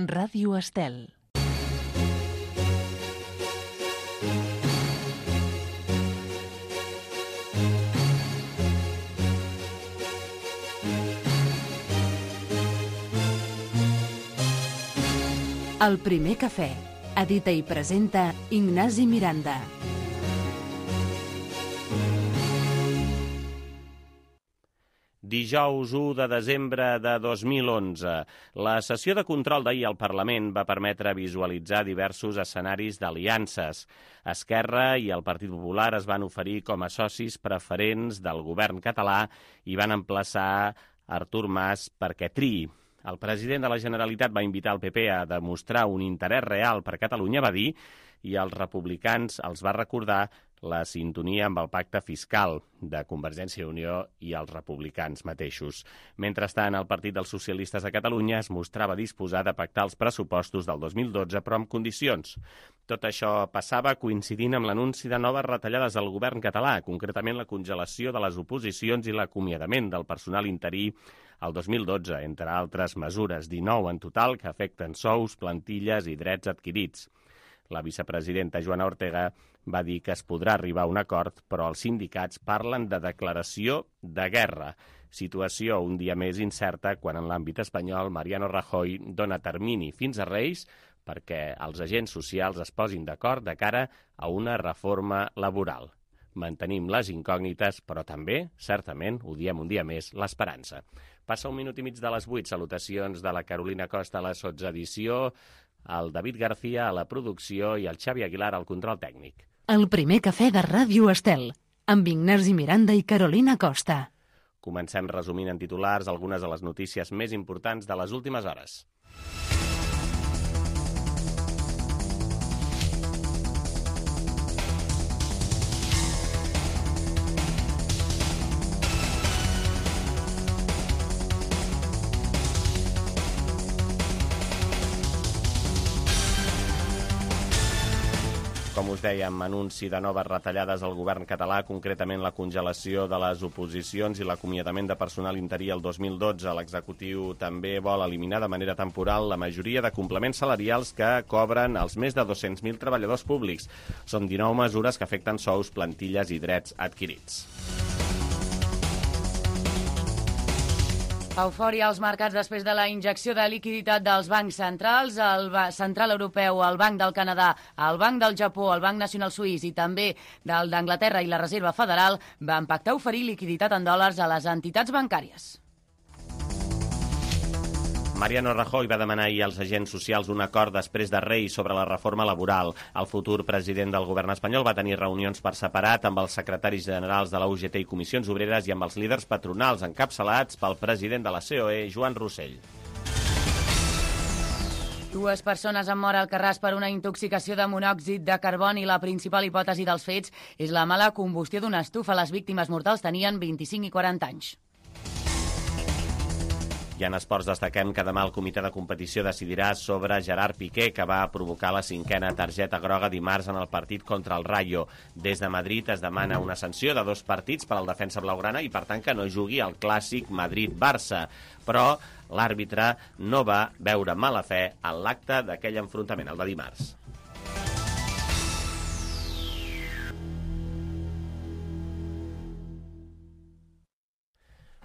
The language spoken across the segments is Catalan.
Ràdio Estel. El primer cafè. Edita i presenta Ignasi Miranda. Dijous 1 de desembre de 2011. La sessió de control d'ahir al Parlament va permetre visualitzar diversos escenaris d'aliances. Esquerra i el Partit Popular es van oferir com a socis preferents del govern català i van emplaçar Artur Mas perquè triï. El president de la Generalitat va invitar el PP a demostrar un interès real per Catalunya, va dir, i als republicans els va recordar la sintonia amb el pacte fiscal de Convergència i Unió i els republicans mateixos. Mentrestant, el Partit dels Socialistes de Catalunya es mostrava disposat a pactar els pressupostos del 2012, però amb condicions. Tot això passava coincidint amb l'anunci de noves retallades al govern català, concretament la congelació de les oposicions i l'acomiadament del personal interí el 2012, entre altres mesures, 19 en total, que afecten sous, plantilles i drets adquirits. La vicepresidenta Joana Ortega va dir que es podrà arribar a un acord, però els sindicats parlen de declaració de guerra. Situació un dia més incerta quan en l'àmbit espanyol Mariano Rajoy dona termini fins a Reis perquè els agents socials es posin d'acord de cara a una reforma laboral. Mantenim les incògnites, però també, certament, ho diem un dia més, l'esperança. Passa 1 minut i mig de les 8. Salutacions de la Carolina Costa a la sotsedició, el David García a la producció i el Xavi Aguilar al control tècnic. El primer cafè de Ràdio Estel, amb Ignasi Miranda i Carolina Costa. Comencem resumint en titulars algunes de les notícies més importants de les últimes hores. Com us dèiem, anunci de noves retallades al govern català, concretament la congelació de les oposicions i l'acomiadament de personal interí el 2012. L'executiu també vol eliminar de manera temporal la majoria de complements salarials que cobren els més de 200.000 treballadors públics. Són 19 mesures que afecten sous, plantilles i drets adquirits. Eufòria als mercats després de la injecció de liquiditat dels bancs centrals, el Central Europeu, el Banc del Canadà, el Banc del Japó, el Banc Nacional Suís i també del d'Anglaterra i la Reserva Federal van pactar oferir liquiditat en dòlars a les entitats bancàries. Mariano Rajoy va demanar ahir als agents socials un acord després de Reis sobre la reforma laboral. El futur president del govern espanyol va tenir reunions per separat amb els secretaris generals de la UGT i Comissions Obreres i amb els líders patronals encapçalats pel president de la COE, Joan Rossell. 2 persones han mort al Carràs per una intoxicació de monòxid de carboni. La principal hipòtesi dels fets és la mala combustió d'una estufa. Les víctimes mortals tenien 25 i 40 anys. I en esports destaquem que demà el comitè de competició decidirà sobre Gerard Piqué, que va provocar la 5a targeta groga dimarts en el partit contra el Rayo. Des de Madrid es demana una sanció de 2 partits per al defensa blaugrana i, per tant, que no jugui al clàssic Madrid-Barça. Però l'àrbitre no va veure mala fe en l'acte d'aquell enfrontament, el de dimarts.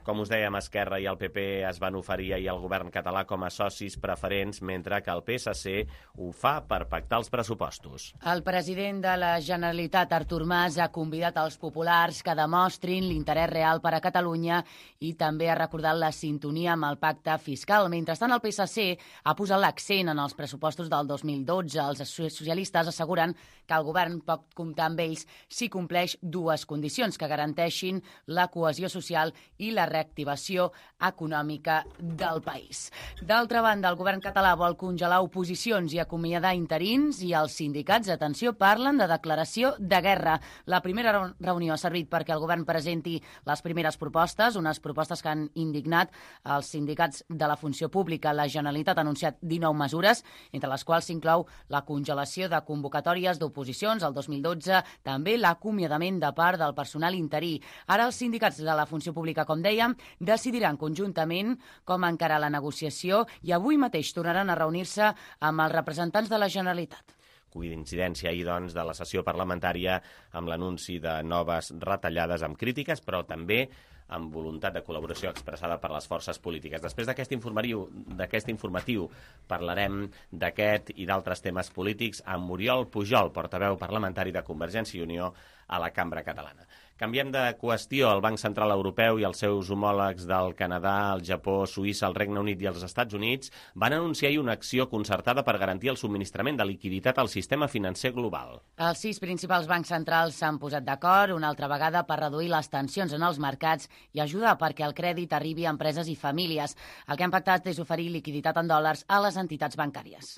Com us dèiem, Esquerra i el PP es van oferir ahir al govern català com a socis preferents, mentre que el PSC ho fa per pactar els pressupostos. El president de la Generalitat, Artur Mas, ha convidat els populars que demostrin l'interès real per a Catalunya i també ha recordat la sintonia amb el pacte fiscal. Mentrestant, el PSC ha posat l'accent en els pressupostos del 2012. Els socialistes asseguren que el govern pot comptar amb ells si compleix 2 condicions que garanteixin la cohesió social i la reactivació econòmica del país. D'altra banda, el govern català vol congelar oposicions i acomiadar interins i els sindicats, atenció, parlen de declaració de guerra. La primera reunió ha servit perquè el govern presenti les primeres propostes, unes propostes que han indignat els sindicats de la funció pública. La Generalitat ha anunciat 19 mesures, entre les quals s'inclou la congelació de convocatòries d'oposicions al 2012, també l'acomiadament de part del personal interí. Ara els sindicats de la funció pública, com dèiem, Europea decidiran conjuntament com encarar la negociació i avui mateix tornaran a reunir-se amb els representants de la Generalitat. Coincidència ahir, doncs, de la sessió parlamentària amb l'anunci de noves retallades amb crítiques, però també amb voluntat de col·laboració expressada per les forces polítiques. Després d'aquest informatiu parlarem d'aquest i d'altres temes polítics amb Oriol Pujol, portaveu parlamentari de Convergència i Unió a la Cambra Catalana. Canviem de qüestió. El Banc Central Europeu i els seus homòlegs del Canadà, el Japó, Suïssa, el Regne Unit i els Estats Units van anunciar ahir una acció concertada per garantir el subministrament de liquiditat al sistema financer global. Els 6 principals bancs centrals s'han posat d'acord una altra vegada per reduir les tensions en els mercats i ajudar perquè el crèdit arribi a empreses i famílies. El que han pactat és oferir liquiditat en dòlars a les entitats bancàries.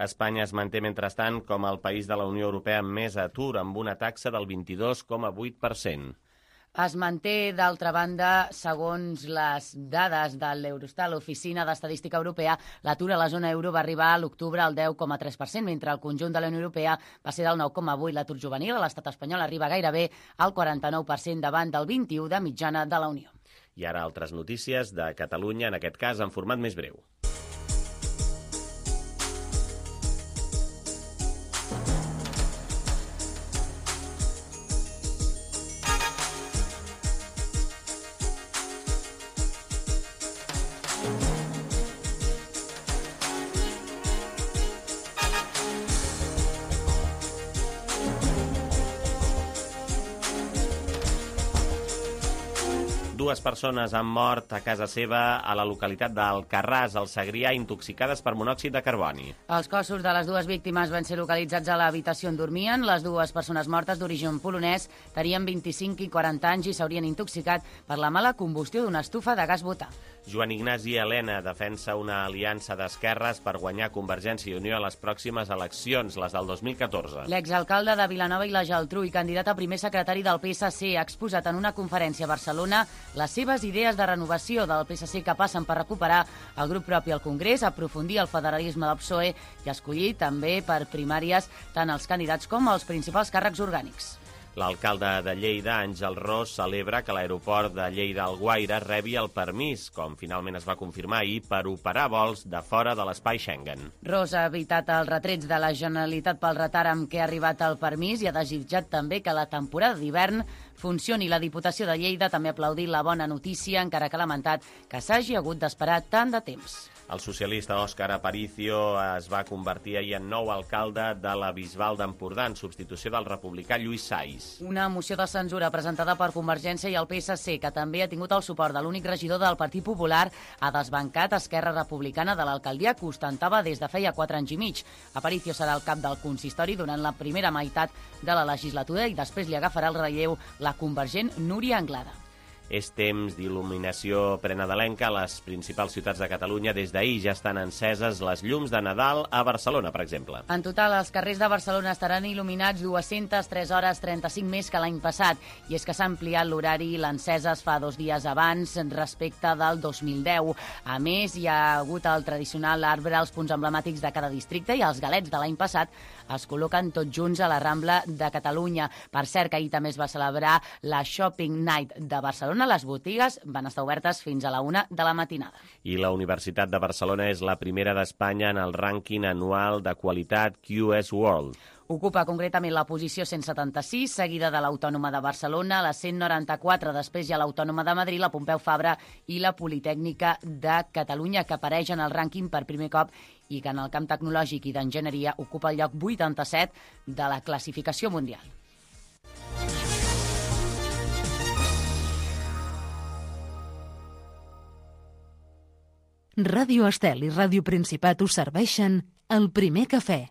Espanya es manté, mentrestant, com el país de la Unió Europea amb més atur, amb una taxa del 22,8%. Es manté, d'altra banda, segons les dades de l'Eurostat, l'Oficina d'Estadística Europea, l'atur a la zona euro va arribar a l'octubre al 10,3%, mentre el conjunt de la Unió Europea va ser del 9,8%. L'atur juvenil a l'estat espanyol arriba gairebé al 49% davant del 21% de mitjana de la Unió. I ara altres notícies de Catalunya, en aquest cas en format més breu. Dues persones han mort a casa seva a la localitat d'Alcarràs, al Segrià, intoxicades per monòxid de carboni. Els cossos de les dues víctimes van ser localitzats a l'habitació on dormien. Les dues persones mortes d'origen polonès tenien 25 i 40 anys i s'haurien intoxicat per la mala combustió d'una estufa de gas butà. Joan Ignasi Elena defensa una aliança d'esquerres per guanyar Convergència i Unió a les pròximes eleccions, les del 2014. L'exalcalde de Vilanova i la Geltrú i candidat a primer secretari del PSC ha exposat en una conferència a Barcelona les seves idees de renovació del PSC que passen per recuperar el grup propi al Congrés, aprofundir el federalisme del PSOE i escollir també per primàries tant els candidats com els principals càrrecs orgànics. L'alcalde de Lleida, Àngel Ros, celebra que l'aeroport de Lleida-Alguaire rebi el permís, com finalment es va confirmar ahir, per operar vols de fora de l'espai Schengen. Ros ha evitat els retrets de la Generalitat pel retard amb què ha arribat el permís i ha desitjat també que la temporada d'hivern funcioni. La Diputació de Lleida també ha aplaudit la bona notícia, encara que ha lamentat que s'hagi hagut d'esperar tant de temps. El socialista Òscar Aparicio es va convertir ahir en nou alcalde de la Bisbal d'Empordà en substitució del republicà Lluís Sais. Una moció de censura presentada per Convergència i el PSC, que també ha tingut el suport de l'únic regidor del Partit Popular, ha desbancat Esquerra Republicana de l'alcaldia que ostentava des de feia 4 anys i mig. Aparicio serà el cap del consistori durant la primera meitat de la legislatura i després li agafarà el relleu la convergent Núria Anglada. És temps d'il·luminació prenadalenca a les principals ciutats de Catalunya. Des d'ahir ja estan enceses les llums de Nadal a Barcelona, per exemple. En total, els carrers de Barcelona estaran il·luminats 203 hores 35 més que l'any passat. I és que s'ha ampliat l'horari, l'encesa es fa 2 dies abans respecte del 2010. A més, hi ha hagut el tradicional arbre als punts emblemàtics de cada districte i els galets de l'any passat es col·loquen tots junts a la Rambla de Catalunya. Per cert, que ahir també es va celebrar la Shopping Night de Barcelona. Les botigues van estar obertes fins a la 1 de la matinada. I la Universitat de Barcelona és la primera d'Espanya en el rànquing anual de qualitat QS World. Ocupa concretament la posició 176, seguida de l'Autònoma de Barcelona, la 194, després hi ha l'Autònoma de Madrid, la Pompeu Fabra i la Politècnica de Catalunya, que apareix en el rànquing per primer cop i que en el camp tecnològic i d'enginyeria ocupa el lloc 87 de la classificació mundial. Ràdio Estel i Ràdio Principat us serveixen el primer cafè.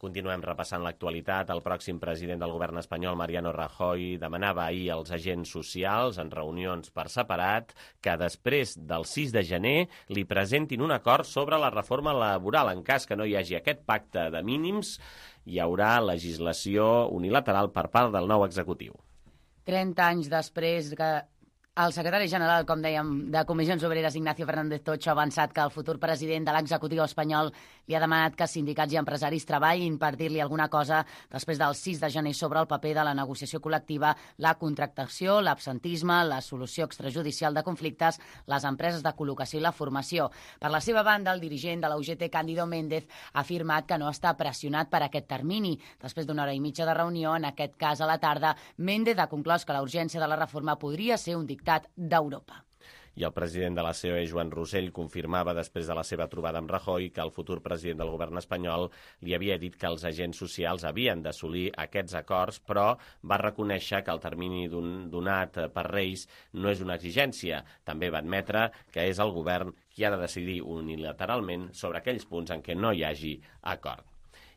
Continuem repassant l'actualitat. El pròxim president del govern espanyol, Mariano Rajoy, demanava ahir als agents socials, en reunions per separat, que després del 6 de gener li presentin un acord sobre la reforma laboral. En cas que no hi hagi aquest pacte de mínims, hi haurà legislació unilateral per part del nou executiu. 30 anys després que El secretari general, com dèiem, de Comissions Obreres, Ignacio Fernández Tocho, ha avançat que el futur president de l'executiu espanyol li ha demanat que sindicats i empresaris treballin per dir-li alguna cosa després del 6 de gener sobre el paper de la negociació col·lectiva, la contractació, l'absentisme, la solució extrajudicial de conflictes, les empreses de col·locació i la formació. Per la seva banda, el dirigent de la UGT, Cándido Méndez, ha afirmat que no està pressionat per aquest termini. Després d'una hora i mitja de reunió, en aquest cas a la tarda, Méndez ha conclòs que la urgència de la reforma podria ser un dictat d'Europa. I el president de la COE, Joan Rosell, confirmava després de la seva trobada amb Rajoy que el futur president del govern espanyol li havia dit que els agents socials havien d'assolir aquests acords, però va reconèixer que el termini donat per Reis no és una exigència. També va admetre que és el govern qui ha de decidir unilateralment sobre aquells punts en què no hi hagi acord.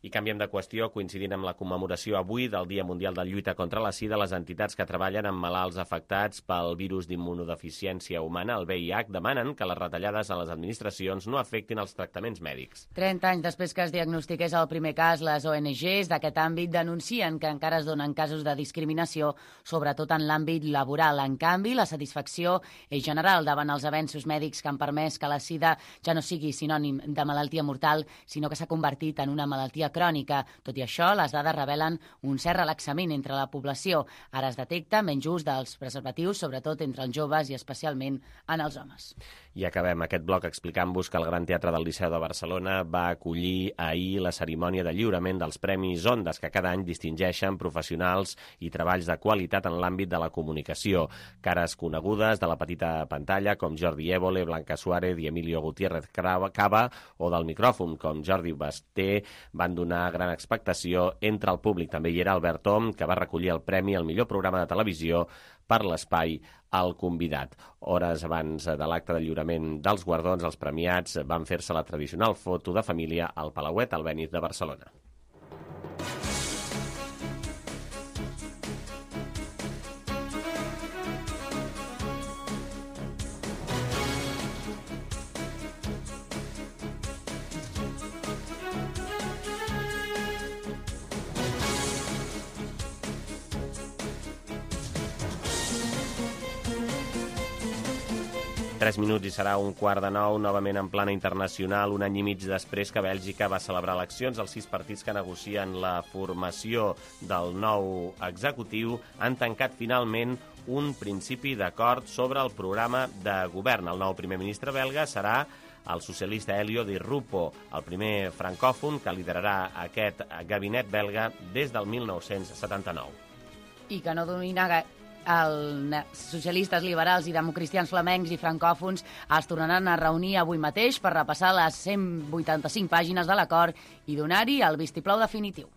I canviem de qüestió, coincidint amb la commemoració avui del Dia Mundial de Lluita contra la Sida, les entitats que treballen amb malalts afectats pel virus d'immunodeficiència humana, el VIH, demanen que les retallades a les administracions no afectin els tractaments mèdics. 30 anys després que es diagnostiqués el primer cas, les ONGs d'aquest àmbit denuncien que encara es donen casos de discriminació, sobretot en l'àmbit laboral. En canvi, la satisfacció és general davant els avenços mèdics que han permès que la sida ja no sigui sinònim de malaltia mortal, sinó que s'ha convertit en una malaltia crònica. Tot i això, les dades revelen un cert relaxament entre la població. Ara es detecta menys ús dels preservatius, sobretot entre els joves i especialment en els homes. I acabem aquest bloc explicant-vos que el Gran Teatre del Liceu de Barcelona va acollir ahir la cerimònia de lliurament dels Premis Ondas, que cada any distingeixen professionals i treballs de qualitat en l'àmbit de la comunicació. Cares conegudes de la petita pantalla, com Jordi Évole, Blanca Suárez i Emilio Gutiérrez Cava, o del micròfon, com Jordi Basté, van donar gran expectació entre el públic. També hi era Albert Tom, que va recollir el premi al millor programa de televisió per l'espai al convidat. Hores abans de l'acte de lliurament dels guardons, els premiats van fer-se la tradicional foto de família al Palauet Albéniz de Barcelona. Tres minuts i serà 8:45, novament en plana internacional, un any i mig després que Bèlgica va celebrar eleccions. Els 6 partits que negocien la formació del nou executiu han tancat finalment un principi d'acord sobre el programa de govern. El nou primer ministre belga serà el socialista Elio Di Rupo, el primer francòfon que liderarà aquest gabinet belga des del 1979. I que no domina els socialistes, liberals i democristians flamencs i francòfons es tornaran a reunir avui mateix per repassar les 185 pàgines de l'acord i donar-hi el vistiplau definitiu.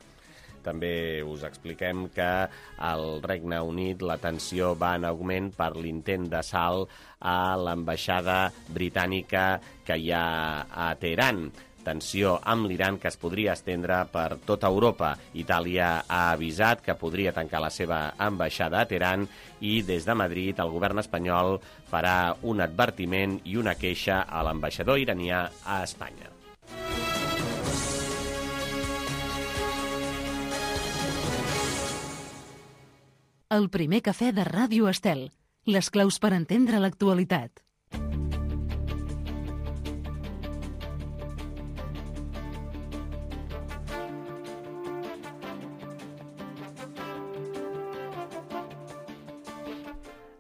També us expliquem que al Regne Unit la tensió va en augment per l'intent d'assalt a l'ambaixada britànica que hi ha a Teheran. Tensió amb l'Iran que es podria estendre per tota Europa. Itàlia ha avisat que podria tancar la seva ambaixada a Teheran i des de Madrid el govern espanyol farà un advertiment i una queixa a l'ambaixador iranià a Espanya. El primer cafè de Ràdio Estel. Les claus per entendre l'actualitat.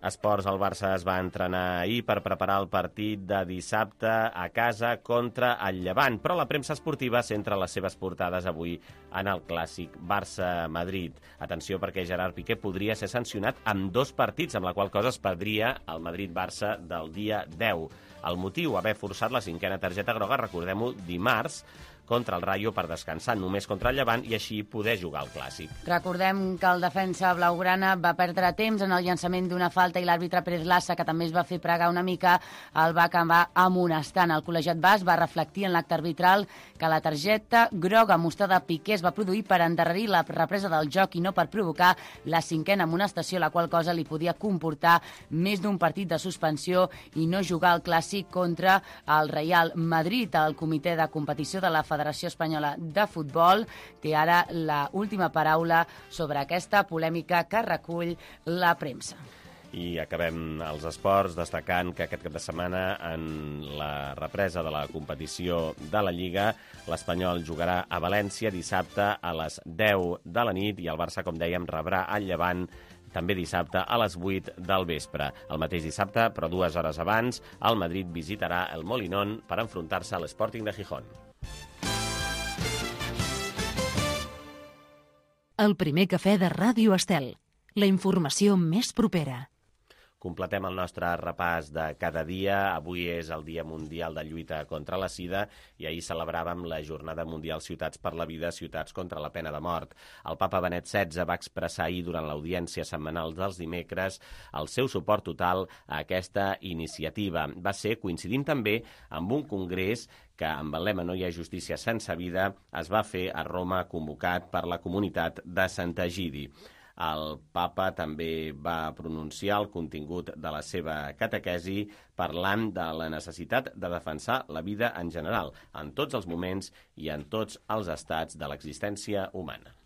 Esports, el Barça es va entrenar ahir per preparar el partit de dissabte a casa contra el Llevant, però la premsa esportiva centra les seves portades avui en el clàssic Barça-Madrid. Atenció perquè Gerard Piqué podria ser sancionat amb 2 partits, amb la qual cosa es perdria el Madrid-Barça del dia 10. El motiu, haver forçat la 5a targeta groga, recordem-ho, dimarts, contra el Rayo per descansar només contra el Llevant i així poder jugar al Clàssic. Recordem que el defensa blaugrana va perdre temps en el llançament d'una falta i l'àrbitre Pérez Lassa, que també es va fer pregar una mica, el va acabar amonestant. El col·legiat basc va reflectir en l'acte arbitral que la targeta groga mostrada a Piqué es va produir per endarrerir la represa del joc i no per provocar la 5a amonestació, la qual cosa li podia comportar més d'un partit de suspensió i no jugar al Clàssic contra el Real Madrid. El comitè de competició de la Federació Espanyola de Futbol té ara la última paraula sobre aquesta polèmica que recull la premsa. I acabem els esports destacant que aquest cap de setmana, en la represa de la competició de la Lliga, l'Espanyol jugarà a València dissabte a les 10 de la nit i el Barça, com dèiem, rebrà el Llevant també dissabte a les 8 del vespre. El mateix dissabte, però 2 hores abans, el Madrid visitarà el Molinón per enfrontar-se a l'Sporting de Gijón. El primer cafè de Ràdio Estel. La informació més propera. Completem el nostre repàs de cada dia. Avui és el Dia Mundial de Lluita contra la Sida i ahir celebràvem la Jornada Mundial Ciutats per la Vida, Ciutats contra la Pena de Mort. El papa Benet XVI va expressar ahir durant l'audiència setmanal dels dimecres el seu suport total a aquesta iniciativa. Va ser coincidint també amb un congrés que amb el lema No hi ha justícia sense vida es va fer a Roma, convocat per la comunitat de Sant'Egidi. El papa també va pronunciar el contingut de la seva catequesi parlant de la necessitat de defensar la vida en general, en tots els moments i en tots els estats de l'existència humana.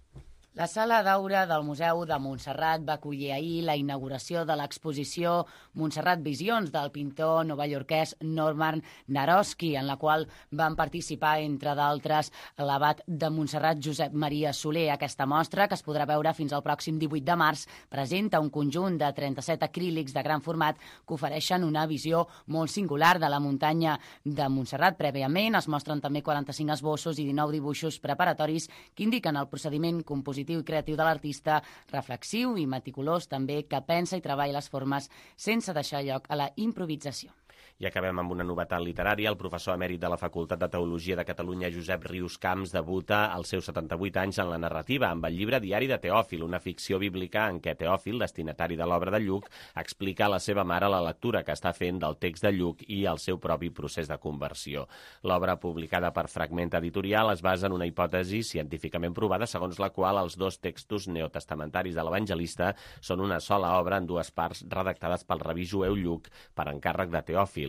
La Sala d'Aura del Museu de Montserrat va acollir ahir la inauguració de l'exposició Montserrat Visions del pintor novaiorquès Norman Naroski, en la qual van participar, entre d'altres, l'abat de Montserrat Josep Maria Soler. Aquesta mostra, que es podrà veure fins al pròxim 18 de març, presenta un conjunt de 37 acrílics de gran format que ofereixen una visió molt singular de la muntanya de Montserrat. Prèviament es mostren també 45 esbossos i 19 dibuixos preparatoris que indiquen el procediment compositiu i creatiu de l'artista, reflexiu i meticulós també, que pensa i treballa les formes sense deixar lloc a la improvisació. I acabem amb una novetat literària. El professor emèrit de la Facultat de Teologia de Catalunya, Josep Rius Camps, debuta als seus 78 anys en la narrativa amb el llibre Diari de Teòfil, una ficció bíblica en què Teòfil, destinatari de l'obra de Lluc, explica a la seva mare la lectura que està fent del text de Lluc i el seu propi procés de conversió. L'obra, publicada per Fragment Editorial, es basa en una hipòtesi científicament provada segons la qual els dos textos neotestamentaris de l'evangelista són una sola obra en dues parts redactades pel rabí jueu Lluc per encàrrec de Teòfil,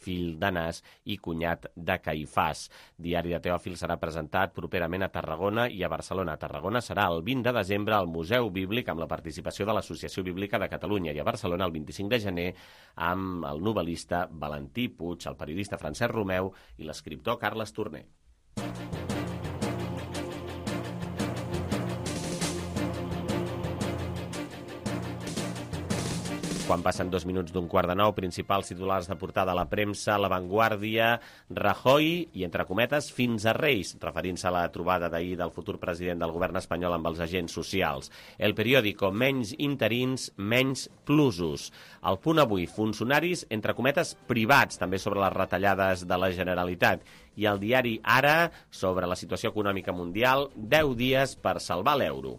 fill d'Anàs i cunyat de Caifàs. Diari de Teòfil serà presentat properament a Tarragona i a Barcelona. A Tarragona serà el 20 de desembre al Museu Bíblic amb la participació de l'Associació Bíblica de Catalunya i a Barcelona el 25 de gener amb el novel·lista Valentí Puig, el periodista Francesc Romeu i l'escriptor Carles Torner. Quan passen 2 minuts d'un quart de 9, principals titulars de portada a la premsa, La Vanguardia, Rajoy i, entre cometes, fins a Reis, referint-se a la trobada d'ahir del futur president del govern espanyol amb els agents socials. El Periódico, menys interins, menys plusos. El Punt avui, funcionaris, entre cometes, privats, també sobre les retallades de la Generalitat. I el diari Ara, sobre la situació econòmica mundial, 10 dies per salvar l'euro.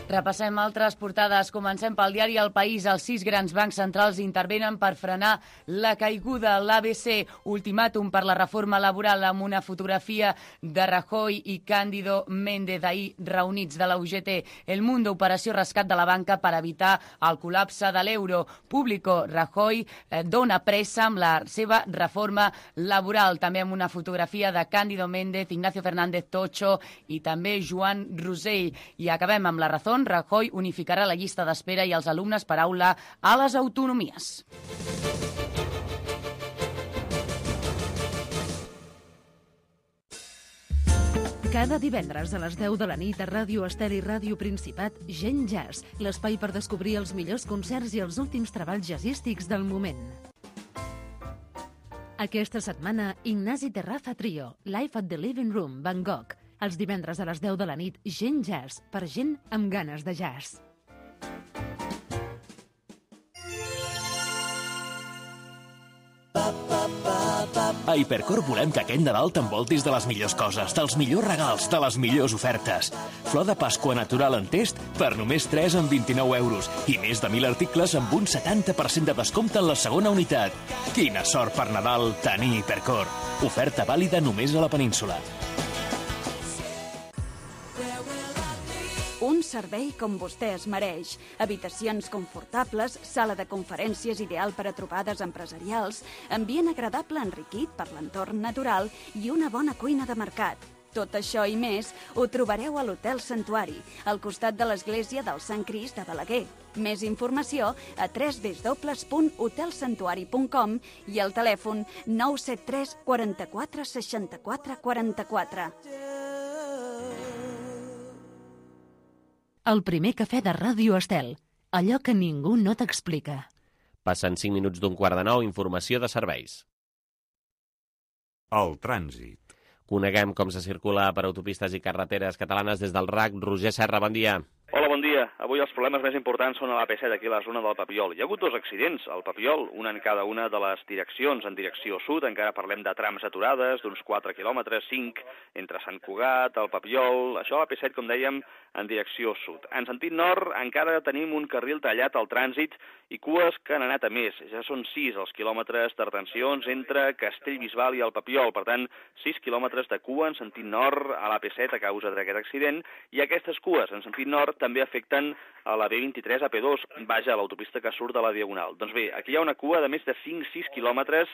Repassem altres portades. Comencem pel diari El País. Els 6 grans bancs centrals intervenen per frenar la caiguda. L'ABC, ultimàtum per la reforma laboral, amb una fotografia de Rajoy i Cándido Méndez ahir reunits de la UGT. El Mundo, operació rescat de la banca per evitar el col·lapse de l'euro. Público, Rajoy dona pressa amb la seva reforma laboral. També amb una fotografia de Cándido Méndez, Ignacio Fernández Tocho i també Joan Rosell. I acabem amb La Razón. Rajoy unificarà la llista d'espera i els alumnes per aula a les autonomies. Cada divendres a les 10 de la nit a Ràdio Estel i Ràdio Principat, Gent Jazz, l'espai per descobrir els millors concerts i els últims treballs jazzístics del moment. Aquesta setmana, Ignasi Terraza Trio, Live at the Living Room, Bangkok. Els divendres a les 10 de la nit, Gent Jazz, per gent amb ganes de jazz. A Hipercor volem que aquest Nadal t'envoltis de les millors coses, dels millors regals, de les millors ofertes. Flor de Pasqua natural en test per només 3 amb 29 euros i més de 1.000 articles amb un 70% de descompte en la segona unitat. Quina sort per Nadal tenir Hipercor. Oferta vàlida només a la península. Un servei com vostè es mereix. Habitacions confortables, sala de conferències ideal per a trobades empresarials, ambient agradable enriquit per l'entorn natural i una bona cuina de mercat. Tot això i més ho trobareu a l'Hotel Santuari, al costat de l'església del Sant Crist de Balaguer. Més informació a www.hotelsantuari.com i al telèfon 973 44 64 44. El primer cafè de Ràdio Estel, allò que ningú no t'explica. Passen 5 minuts d'un quart de 9, informació de serveis. El trànsit. Coneguem com se circula per autopistes i carreteres catalanes des del RAC. Roger Serra, bon dia. Hola, bon dia. Avui els problemes més importants són a l'AP7, aquí a la zona del Papiol. Hi ha hagut 2 accidents al Papiol, un en cada una de les direccions. En direcció sud encara parlem de trams aturades, d'uns 4 quilòmetres, 5, entre Sant Cugat, el Papiol. Això a l'AP7, com dèiem, en direcció sud. En sentit nord encara tenim un carril tallat al trànsit i cues que han anat a més. Ja són 6 els quilòmetres de retencions entre Castellbisbal i el Papiol. Per tant, 6 quilòmetres de cua en sentit nord a l'AP7 a causa d'aquest accident, i aquestes cues en sentit nord també afecten a la B23 AP2, vaja, a l'autopista que surt de la Diagonal. Doncs bé, aquí hi ha una cua de més de 5-6 quilòmetres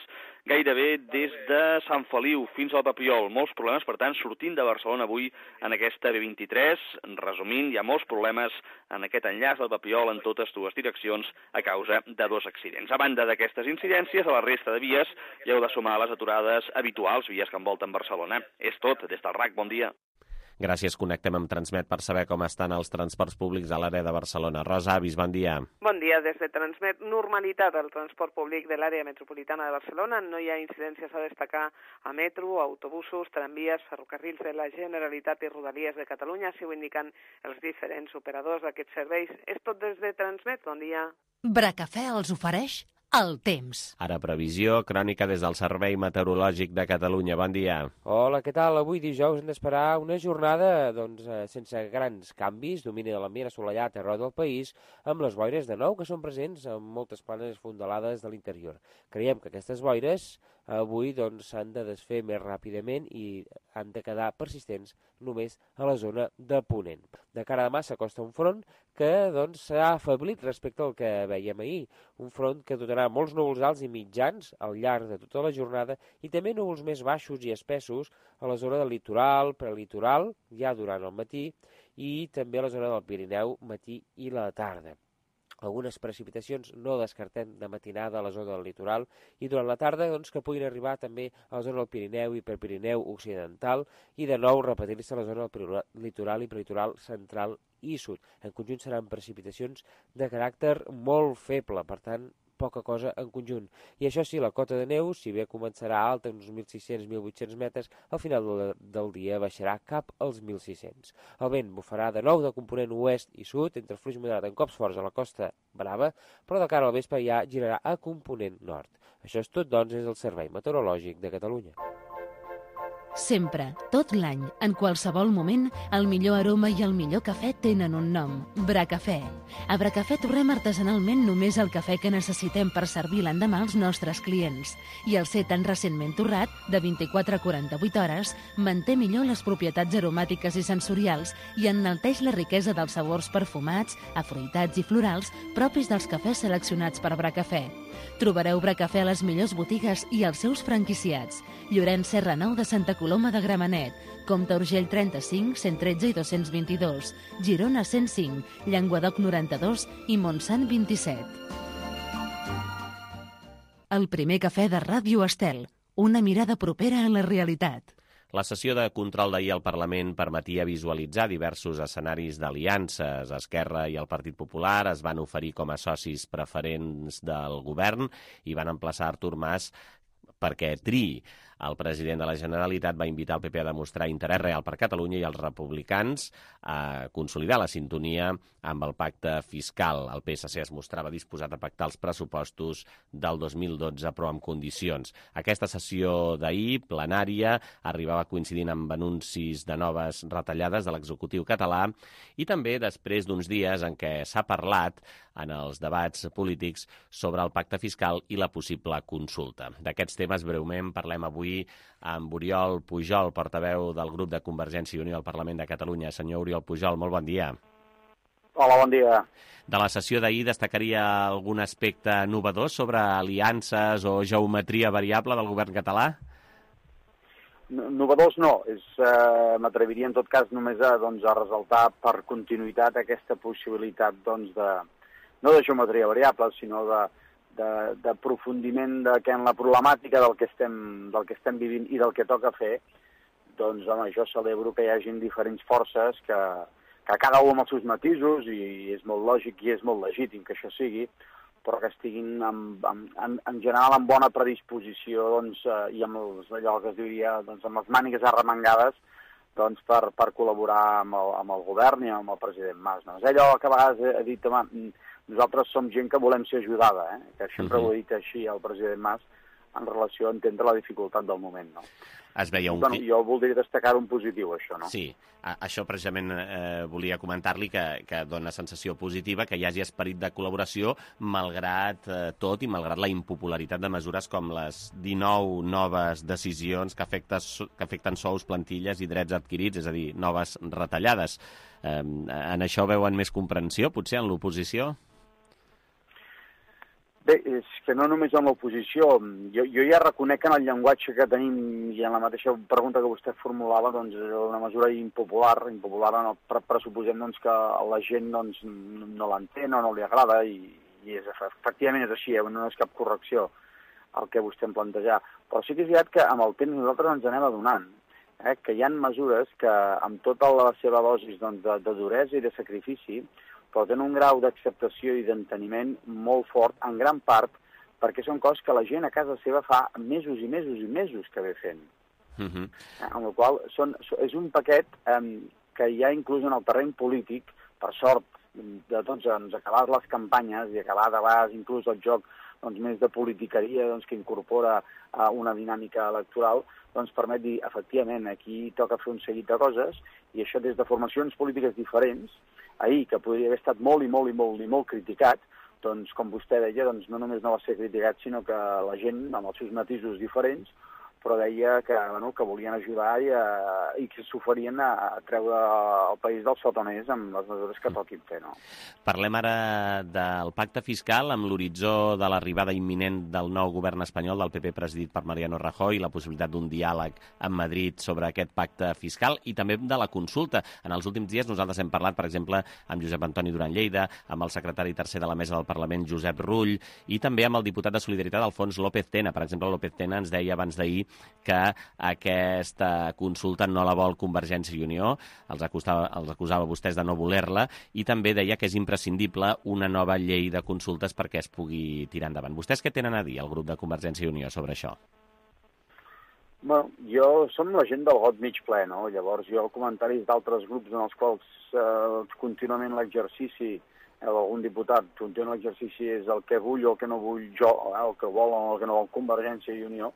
gairebé des de Sant Feliu fins al Papiol. Molts problemes, per tant, sortint de Barcelona avui en aquesta B23. Resumint, hi ha molts problemes en aquest enllaç del Papiol en totes 2 direccions a causa de 2 accidents. A banda d'aquestes incidències, a la resta de vies hi heu de sumar les aturades habituals, vies que envolten Barcelona. És tot, des del RAC, bon dia. Gràcies, connectem amb Transmet per saber com estan els transports públics a l'àrea de Barcelona. Rosa Avis, bon dia. Bon dia, des de Transmet. Normalitat al transport públic de l'àrea metropolitana de Barcelona. No hi ha incidències a destacar a metro, autobusos, tramvies, ferrocarrils de la Generalitat i Rodalies de Catalunya, si ho indiquen els diferents operadors d'aquests serveis. És tot des de Transmet. Bon dia. Bracafè els ofereix el temps. Ara previsió, crònica des del Servei Meteorològic de Catalunya. Bon dia. Hola, què tal? Avui dijous hem d'esperar una jornada sense grans canvis, domini de l'ambient assolellat arreu del país, amb les boires de nou que són presents en moltes planes fondalades de l'interior. Creiem que aquestes boires avui s'han de desfer més ràpidament i han de quedar persistents només a la zona de Ponent. De cara a demà s'acosta un front que s'ha afeblit respecte al que veiem ahir. Un front que dotarà molts núvols alts i mitjans al llarg de tota la jornada i també núvols més baixos i espessos a la zona del litoral, prelitoral, ja durant el matí, i també a la zona del Pirineu, matí i la tarda. Algunes precipitacions no descartem de matinada a la zona del litoral i durant la tarda que puguin arribar també a la zona del Pirineu i Prepirineu occidental i de nou repetir-se a la zona del litoral i prelitoral central i sud. En conjunt seran precipitacions de caràcter molt feble, per tant, poca cosa en conjunt. I això sí, la cota de neu, si bé començarà alta, uns 1.600-1.800 metres, al final del dia baixarà cap als 1.600. El vent bufarà de nou de component oest i sud, entre fluix moderat en cops forts a la Costa Brava, però de cara al vespre ja girarà a component nord. Això és tot, des del Servei Meteorològic de Catalunya. Sempre, tot l'any, en qualsevol moment, el millor aroma i el millor cafè tenen un nom, Bracafè. A Bracafè torrem artesanalment només el cafè que necessitem per servir l'endemà als nostres clients. I el ser tan recentment torrat, de 24 a 48 hores, manté millor les propietats aromàtiques i sensorials i enalteix la riquesa dels sabors perfumats, afruitats i florals propis dels cafès seleccionats per Bracafè. Trobareu Bracafè a les millors botigues i als seus franquiciats. Llorenç Serra 9 de Santa Coloma de Gramenet, Comte Urgell 35, 113 i 222, Girona 105, Llenguadoc 92 i Montsant 27. El primer cafè de Ràdio Estel, una mirada propera a la realitat. La sessió de control d'ahir al Parlament permetia visualitzar diversos escenaris d'aliances. Esquerra i el Partit Popular es van oferir com a socis preferents del govern i van emplaçar Artur Mas perquè triï. El president de la Generalitat va invitar el PP a demostrar interès real per Catalunya i els republicans a consolidar la sintonia amb el pacte fiscal. El PSC es mostrava disposat a pactar els pressupostos del 2012, però amb condicions. Aquesta sessió d'ahir, plenària, arribava coincidint amb anuncis de noves retallades de l'executiu català i també després d'uns dies en què s'ha parlat en els debats polítics sobre el pacte fiscal i la possible consulta. D'aquests temes breument parlem avui amb Oriol Pujol, portaveu del grup de Convergència i Unió al Parlament de Catalunya. Senyor Oriol Pujol, molt bon dia. Hola, bon dia. De la sessió d'ahir destacaria algun aspecte novedós sobre aliances o geometria variable del govern català? Innovadors no, m'atreviria en tot cas només a ressaltar per continuïtat aquesta possibilitat no de geometria variable, sinó d'aprofundiment en la problemàtica del que estem vivint i del que toca fer. Doncs, home, jo celebro que hi hagin diferents forces que cada un amb els seus matisos, i és molt lògic i és molt legítim que això sigui, però que estiguin en general amb bona predisposició i amb allò que es diria amb les mànigues arremangades per col·laborar amb el govern i amb el president Mas. És allò que a vegades he dit, home, nosaltres som gent que volem ser ajudada, que sempre ho he dit així al president Mas en relació a entendre la dificultat del moment, no? Es veia Jo voldria destacar un positiu, això, no? Sí, això precisament volia comentar-li que dona sensació positiva, que hi hagi esperit de col·laboració malgrat tot i malgrat la impopularitat de mesures com les 19 noves decisions que afecten sous, plantilles i drets adquirits, és a dir, noves retallades. En això veuen més comprensió, potser, en l'oposició? Bé, és que no només en l'oposició. Jo ja reconec que en el llenguatge que tenim i en la mateixa pregunta que vostè formulava, és una mesura impopular, pressuposem que la gent no l'entén o no li agrada, i efectivament és així, no és cap correcció el que vostè em planteja. Però sí que és veritat que amb el temps nosaltres ens anem adonant que hi ha mesures que amb tota la seva dosis de duresa i de sacrifici però tenen un grau d'acceptació i d'enteniment molt fort, en gran part, perquè són coses que la gent a casa seva fa mesos i mesos i mesos que ve fent. Amb la qual és un paquet que hi ha inclús en el terreny polític, per sort de tots ens acabar les campanyes i acabar de vegades inclús el joc més de politiqueria que incorpora una dinàmica electoral, permet dir, efectivament, aquí toca fer un seguit de coses, i això des de formacions polítiques diferents, ahir, que podria haver estat molt i molt criticat, com vostè deia, no només no va ser criticat, sinó que la gent, amb els seus matisos diferents, però deia que volien ajudar i que s'oferien a treure el país del sotoners amb les mesures que toquin fer, no? Parlem ara del pacte fiscal amb l'horitzó de l'arribada imminent del nou govern espanyol del PP presidit per Mariano Rajoy i la possibilitat d'un diàleg amb Madrid sobre aquest pacte fiscal i també de la consulta. En els últims dies nosaltres hem parlat, per exemple, amb Josep Antoni Duran Lleida, amb el secretari tercer de la mesa del Parlament, Josep Rull, i també amb el diputat de Solidaritat, Alfons López Tena. Per exemple, López Tena ens deia abans d'ahir que aquesta consulta no la vol Convergència i Unió, els acusava vostès de no voler-la, i també deia que és imprescindible una nova llei de consultes perquè es pugui tirar endavant. Vostès què tenen a dir, el grup de Convergència i Unió, sobre això? Bueno, som la gent del got mig ple, no? Llavors, comentaris d'altres grups en els quals contínuament l'exercici, algun diputat, contínuament l'exercici és el que vull o el que no vull jo, el que vol o el que no vol Convergència i Unió,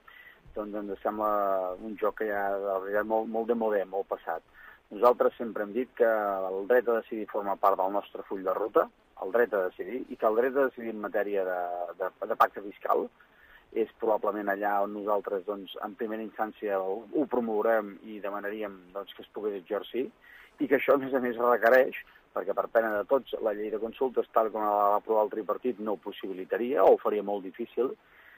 ens sembla un joc que ja és molt de modè, molt passat. Nosaltres sempre hem dit que el dret a decidir forma part del nostre full de ruta, el dret a decidir, i que el dret a decidir en matèria de pacte fiscal és probablement allà on nosaltres, en primera instància, ho promourem i demanaríem que es pogués exercir, i que això, a més, requereix, perquè per pena de tots, la llei de consultes, tal com la va aprovar el tripartit, no ho possibilitaria o ho faria molt difícil.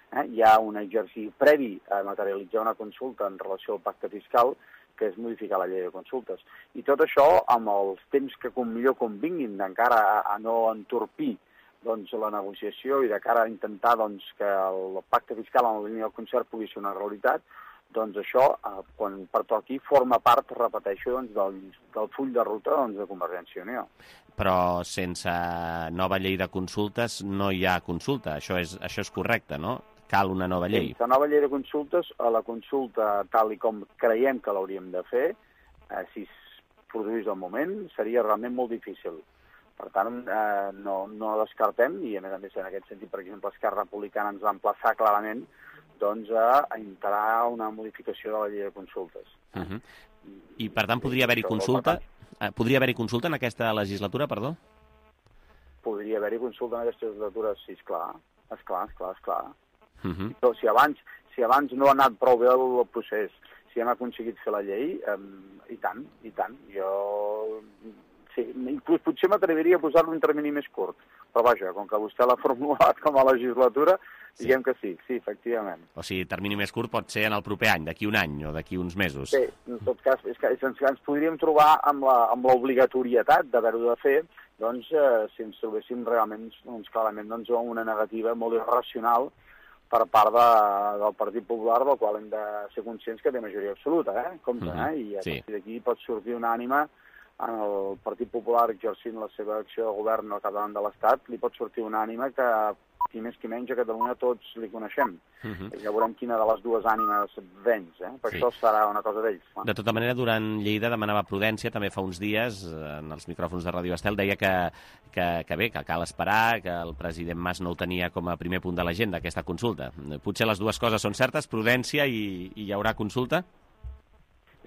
Hi ha un exercici previ a materialitzar una consulta en relació al pacte fiscal, que és modificar la llei de consultes. I tot això, amb els temps que millor convinguin, d'encara a no entorpir la negociació i de cara a intentar que el pacte fiscal en la línia del concert pugui ser una realitat, això, quan pertoqui, forma part, repeteixo, del full de ruta de Convergència i Unió. Però sense nova llei de consultes no hi ha consulta. Això és correcte, no? Cal una nova llei. Sense nova llei de consultes, a la consulta, tal i com creiem que l'hauríem de fer, si es produís el moment, seria realment molt difícil. Per tant, no descartem, i a més en aquest sentit, per exemple, Esquerra Republicana ens va emplaçar clarament a entrar una modificació de la llei de consultes. I, per tant, podria haver-hi consulta? Podria haver-hi consulta en aquesta legislatura, perdó? Podria haver-hi consulta en aquesta legislatura, sí, esclar. Però si abans no ha anat prou bé el procés, si hem aconseguit fer la llei, i tant. Jo Sí, inclús potser m'atreviria a posar-lo un termini més curt. Però vaja, com que vostè l'ha formulat com a legislatura, diguem que sí, efectivament. O sigui, termini més curt pot ser en el proper any, d'aquí un any o d'aquí uns mesos. Sí, en tot cas, és que ens podríem trobar amb l'obligatorietat d'haver-ho de fer, doncs, si ens trobéssim realment, clarament, una negativa molt irracional per part del Partit Popular, del qual hem de ser conscients que té majoria absoluta, compte, i a partir d'aquí pot sortir una ànima en el Partit Popular exercint la seva acció de govern al capdavant de l'Estat, li pot sortir una ànima que, qui més qui menys, a Catalunya tots li coneixem. Ja veurem quina de les dues ànimes venç, per això serà una cosa d'ells. De tota manera, durant Lleida demanava prudència, també fa uns dies, en els micròfons de Ràdio Estel, deia que bé, que cal esperar, que el president Mas no ho tenia com a primer punt de l'agenda, aquesta consulta. Potser les dues coses són certes, prudència i hi haurà consulta?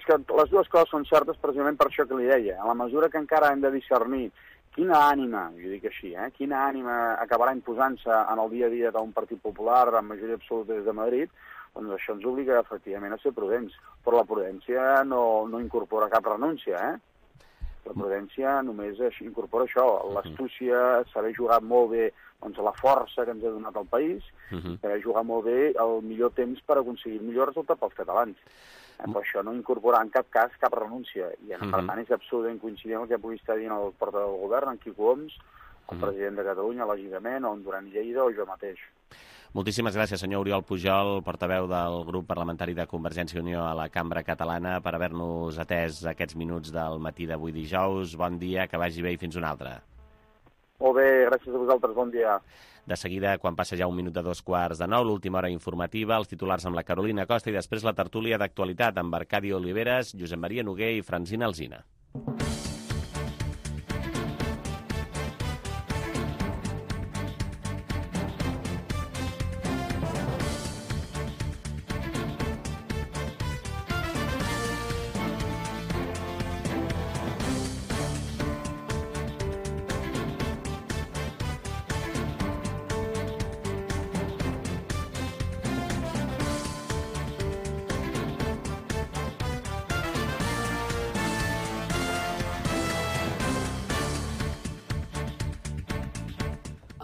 És que les dues coses són certes precisament per això que li deia. A la mesura que encara hem de discernir quina ànima, jo dic així, quina ànima acabarà imposant-se en el dia a dia d'un Partit Popular amb majoria absoluta des de Madrid, doncs això ens obliga efectivament a ser prudents. Però la prudència no incorpora cap renúncia, La prudència només incorpora això, l'astúcia, saber jugar molt bé la força que ens ha donat el país, saber jugar molt bé el millor temps per aconseguir el millor resultat pels catalans. Però això no incorpora en cap cas cap renúncia, i per tant és absolutament coincident amb el que pugui estar dient el portaveu del govern, en Quico Homs, el president de Catalunya, lògicament, o en Duran Lleida, o jo mateix. Moltíssimes gràcies, senyor Oriol Pujol, portaveu del grup parlamentari de Convergència i Unió a la Cambra Catalana, per haver-nos atès aquests minuts del matí d'avui dijous. Bon dia, que vagi bé i fins una altra. Molt bé, gràcies a vosaltres, bon dia. De seguida, quan passa ja un minut de 8:45, l'última hora informativa, els titulars amb la Carolina Costa i després la tertúlia d'actualitat amb Arcadi Oliveres, Josep Maria Noguer i Francina Alsina.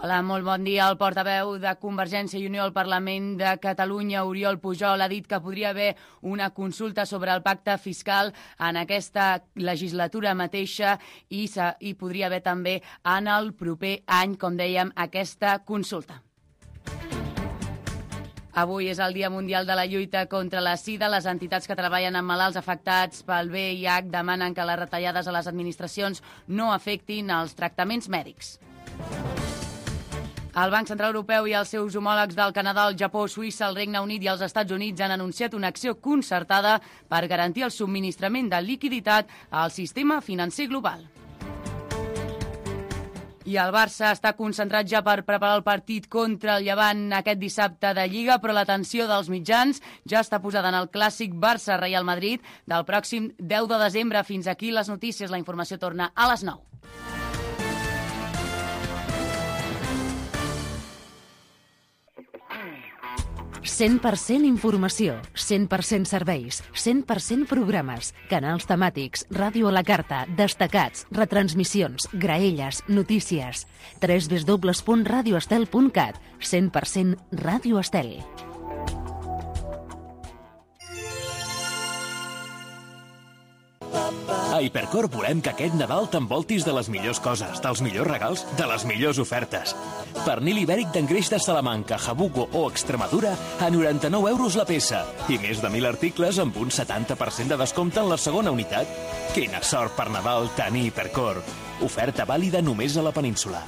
Hola, molt bon dia. El portaveu de Convergència i Unió al Parlament de Catalunya, Oriol Pujol, ha dit que podria haver una consulta sobre el pacte fiscal en aquesta legislatura mateixa i podria haver també en el proper any, com dèiem, aquesta consulta. Avui és el Dia Mundial de la Lluita contra la Sida. Les entitats que treballen amb malalts afectats pel VIH demanen que les retallades a les administracions no afectin els tractaments mèdics. El Banc Central Europeu i els seus homòlegs del Canadà, el Japó, Suïssa, el Regne Unit i els Estats Units han anunciat una acció concertada per garantir el subministrament de liquiditat al sistema financer global. I el Barça està concentrat ja per preparar el partit contra el Llevant aquest dissabte de Lliga, però l'atenció dels mitjans ja està posada en el clàssic Barça-Real Madrid del pròxim 10 de desembre. Fins aquí les notícies. La informació torna a les 9. «100% informació, 100% serveis, 100% programes, canals temàtics, ràdio a la carta, destacats, retransmissions, graelles, notícies. www.radioestel.cat. 100% Ràdio Estel». A Hipercor volem que aquest Nadal t'envoltis de les millors coses, dels millors regals, de les millors ofertes. Pernil ibèric d'engreix de Salamanca, Jabugo o Extremadura a 99 € la peça. I més de 1.000 articles amb un 70% de descompte en la segona unitat. Quina sort per Nadal tenir Hipercor. Oferta vàlida només a la península.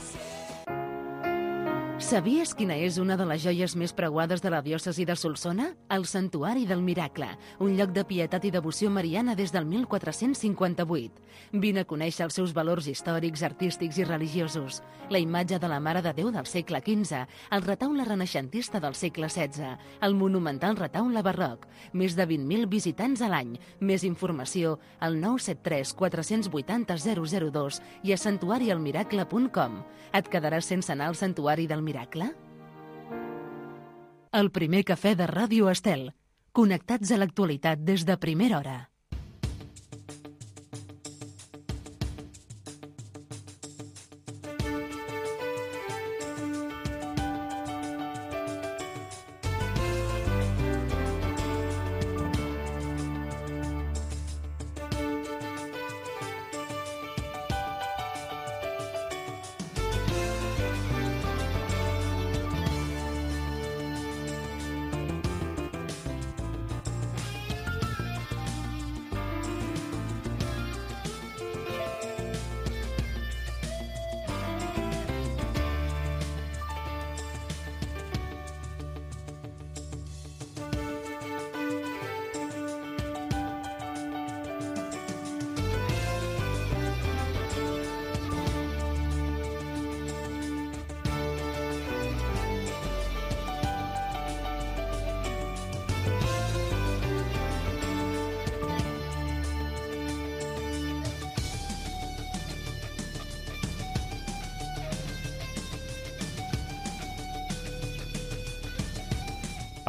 Sabies quina és una de les joies més preuades de la diòcesi de Solsona? El Santuari del Miracle, un lloc de pietat i devoció mariana des del 1458. Vine a conèixer els seus valors històrics, artístics i religiosos. La imatge de la Mare de Déu del segle XV, el retaule renaixentista del segle XVI, el monumental retaule barroc, més de 20.000 visitants a l'any. Més informació al 973 480 002 i a santuarialmiracle.com. Et quedaràs sense anar al Santuari del Miracle? El primer cafè de Ràdio Estel. Connectats a l'actualitat des de primera hora.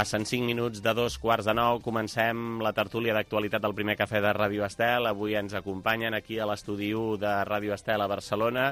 Passen 5 minuts de 2:45, comencem la tertúlia d'actualitat del primer cafè de Ràdio Estel. Avui ens acompanyen aquí a l'estudi 1 de Ràdio Estel a Barcelona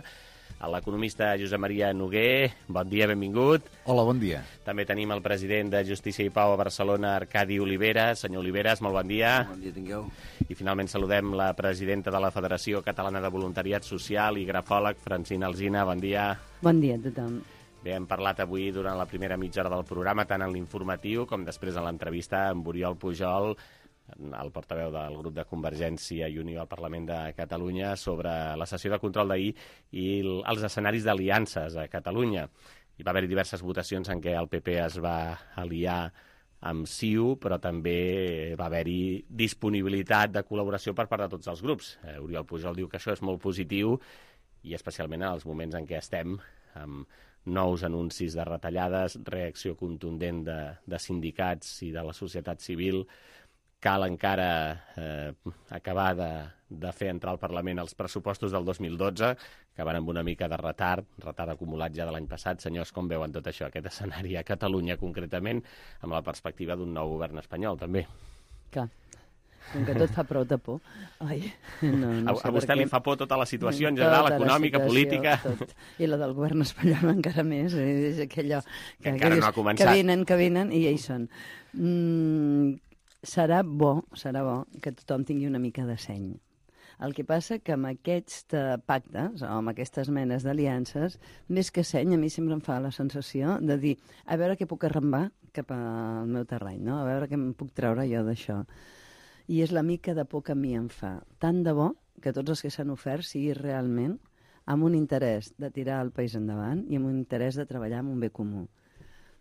l'economista Josep Maria Noguer. Bon dia, benvingut. Hola, bon dia. També tenim el president de Justícia i Pau a Barcelona, Arcadi Oliveres. Senyor Oliveres, molt bon dia. Bon dia, tingueu. I finalment saludem la presidenta de la Federació Catalana de Voluntariat Social i grafòleg, Francina Alsina. Bon dia. Bon dia a tothom. Bé, hem parlat avui durant la primera mitja hora del programa, tant en l'informatiu com després en l'entrevista amb Oriol Pujol, el portaveu del grup de Convergència i Unió al Parlament de Catalunya, sobre la sessió de control d'ahir i els escenaris d'aliances a Catalunya. Hi va haver diverses votacions en què el PP es va aliar amb CiU, però també va haver-hi disponibilitat de col·laboració per part de tots els grups. Oriol Pujol diu que això és molt positiu i especialment en els moments en què estem amb nous anuncis de retallades, reacció contundent de sindicats i de la societat civil. Cal encara acabar de fer entrar al Parlament els pressupostos del 2012, que van amb una mica de retard acumulat ja de l'any passat. Senyors, com veuen tot això, aquest escenari a Catalunya concretament, amb la perspectiva d'un nou govern espanyol, també? Clar, com que tot fa prou de por. Ai, no a vostè li fa por tota la situació en general, econòmica, política? Tot. I la del govern espanyol encara més. És aquello que encara no ha començat. Que venen i ja hi són. Serà bo que tothom tingui una mica de seny. El que passa que amb aquests pactes, o amb aquestes menes d'aliances, més que seny, a mi sempre em fa la sensació de dir, a veure què puc arrambar cap al meu terreny, no? A veure què em puc treure jo d'això. I és la mica de por que a mi em fa. Tant de bo que tots els que s'han ofert sigui realment amb un interès de tirar el país endavant i amb un interès de treballar amb un bé comú.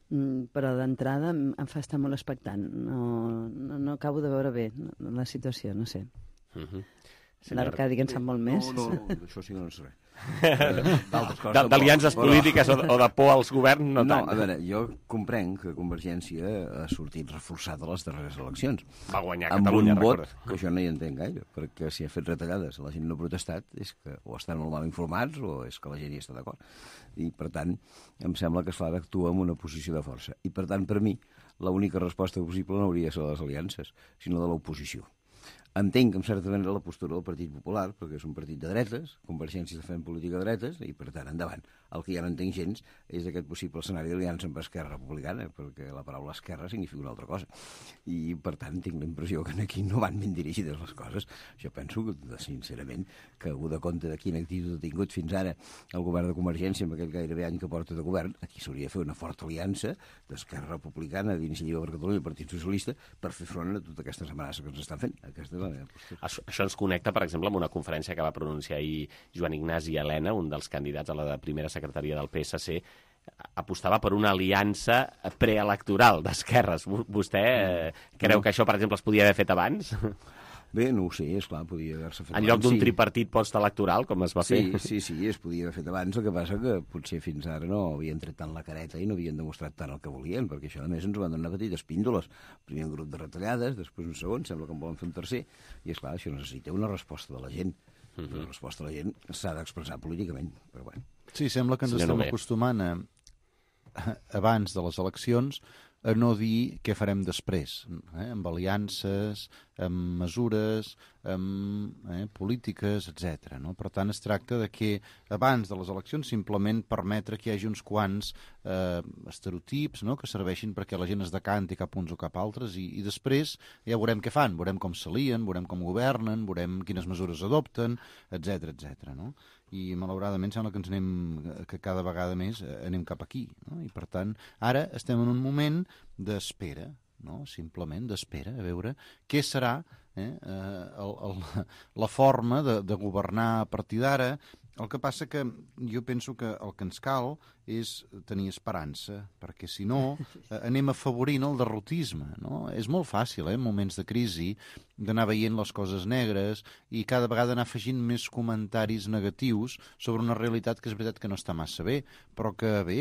Però d'entrada em fa estar molt expectant. No acabo de veure bé la situació, no sé. L'Arcadi, que en sap molt més. No, això sí que no sé res. D'aliances polítiques o de por als governs, no tant. No, a veure, jo comprenc que Convergència ha sortit reforçada a les darreres eleccions. Va guanyar Catalunya, recorda. Amb un vot que jo no hi entenc gaire, perquè si ha fet retallades la gent no ha protestat, és que o estan molt mal informats o és que la gent hi està d'acord. I, per tant, em sembla que es fa d'actuar en una posició de força. I, per tant, per mi, l'única resposta possible no hauria de ser de les aliances, sinó de l'oposició. Entenc, en certa manera, la postura del Partit Popular, perquè és un partit de dretes, Convergència està fent política de dretes, i, per tant, endavant. El que ja no entenc gens és aquest possible escenari d'aliança amb Esquerra Republicana, perquè la paraula esquerra significa una altra cosa. I, per tant, tinc la impressió que aquí no van ben dirigides les coses. Jo penso, sincerament, que algú de compte de quina actitud ha tingut fins ara el govern de Convergència, amb aquest gairebé any que porta de govern, aquí s'hauria de fer una forta aliança d'Esquerra Republicana, d'Iniciativa per Catalunya i el Partit Socialista per fer front a totes aquestes amenaces que ens estan fent. Aquesta és la meva postura. Això ens connecta, per exemple, amb una conferència que va pronunciar ahir Joan Ignasi Elena, un dels candidats a la primera secretaria del PSC, apostava per una aliança preelectoral d'esquerres. Vostè creu que això, per exemple, es podia haver fet abans? Bé, no ho sé, esclar, podia haver-se fet abans. En lloc d'un tripartit postelectoral, com es va fer? Sí, es podia haver fet abans, el que passa que potser fins ara no havien tret tant la careta i no havien demostrat tant el que volien, perquè això, a més, ens ho van donar petites píndoles. Primer un grup de retallades, després un segon, sembla que en volen fer un tercer, i esclar, això necessita una resposta de la gent. La resposta de la gent s'ha d'expressar políticament, però bueno. Sí, sembla que ens estem acostumant abans de les eleccions a no dir què farem després, amb aliances, amb mesures, amb polítiques, etc. No? Per tant, es tracta de que abans de les eleccions simplement permetre que hi hagi uns quants estereotips, no?, que serveixin perquè la gent es decanti cap uns o cap altres i després ja veurem què fan, veurem com s'alien, veurem com governen, veurem quines mesures adopten, etc. No? I malauradament sembla que cada vegada més anem cap aquí, no? I per tant ara estem en un moment d'espera, no? Simplement d'espera, a veure què serà la forma de governar a partir d'ara. El que passa que jo penso que el que ens cal és tenir esperança, perquè si no anem afavorint el derrotisme, no? És molt fàcil, en moments de crisi, d'anar veient les coses negres i cada vegada anar afegint més comentaris negatius sobre una realitat que és veritat que no està massa bé, però que bé,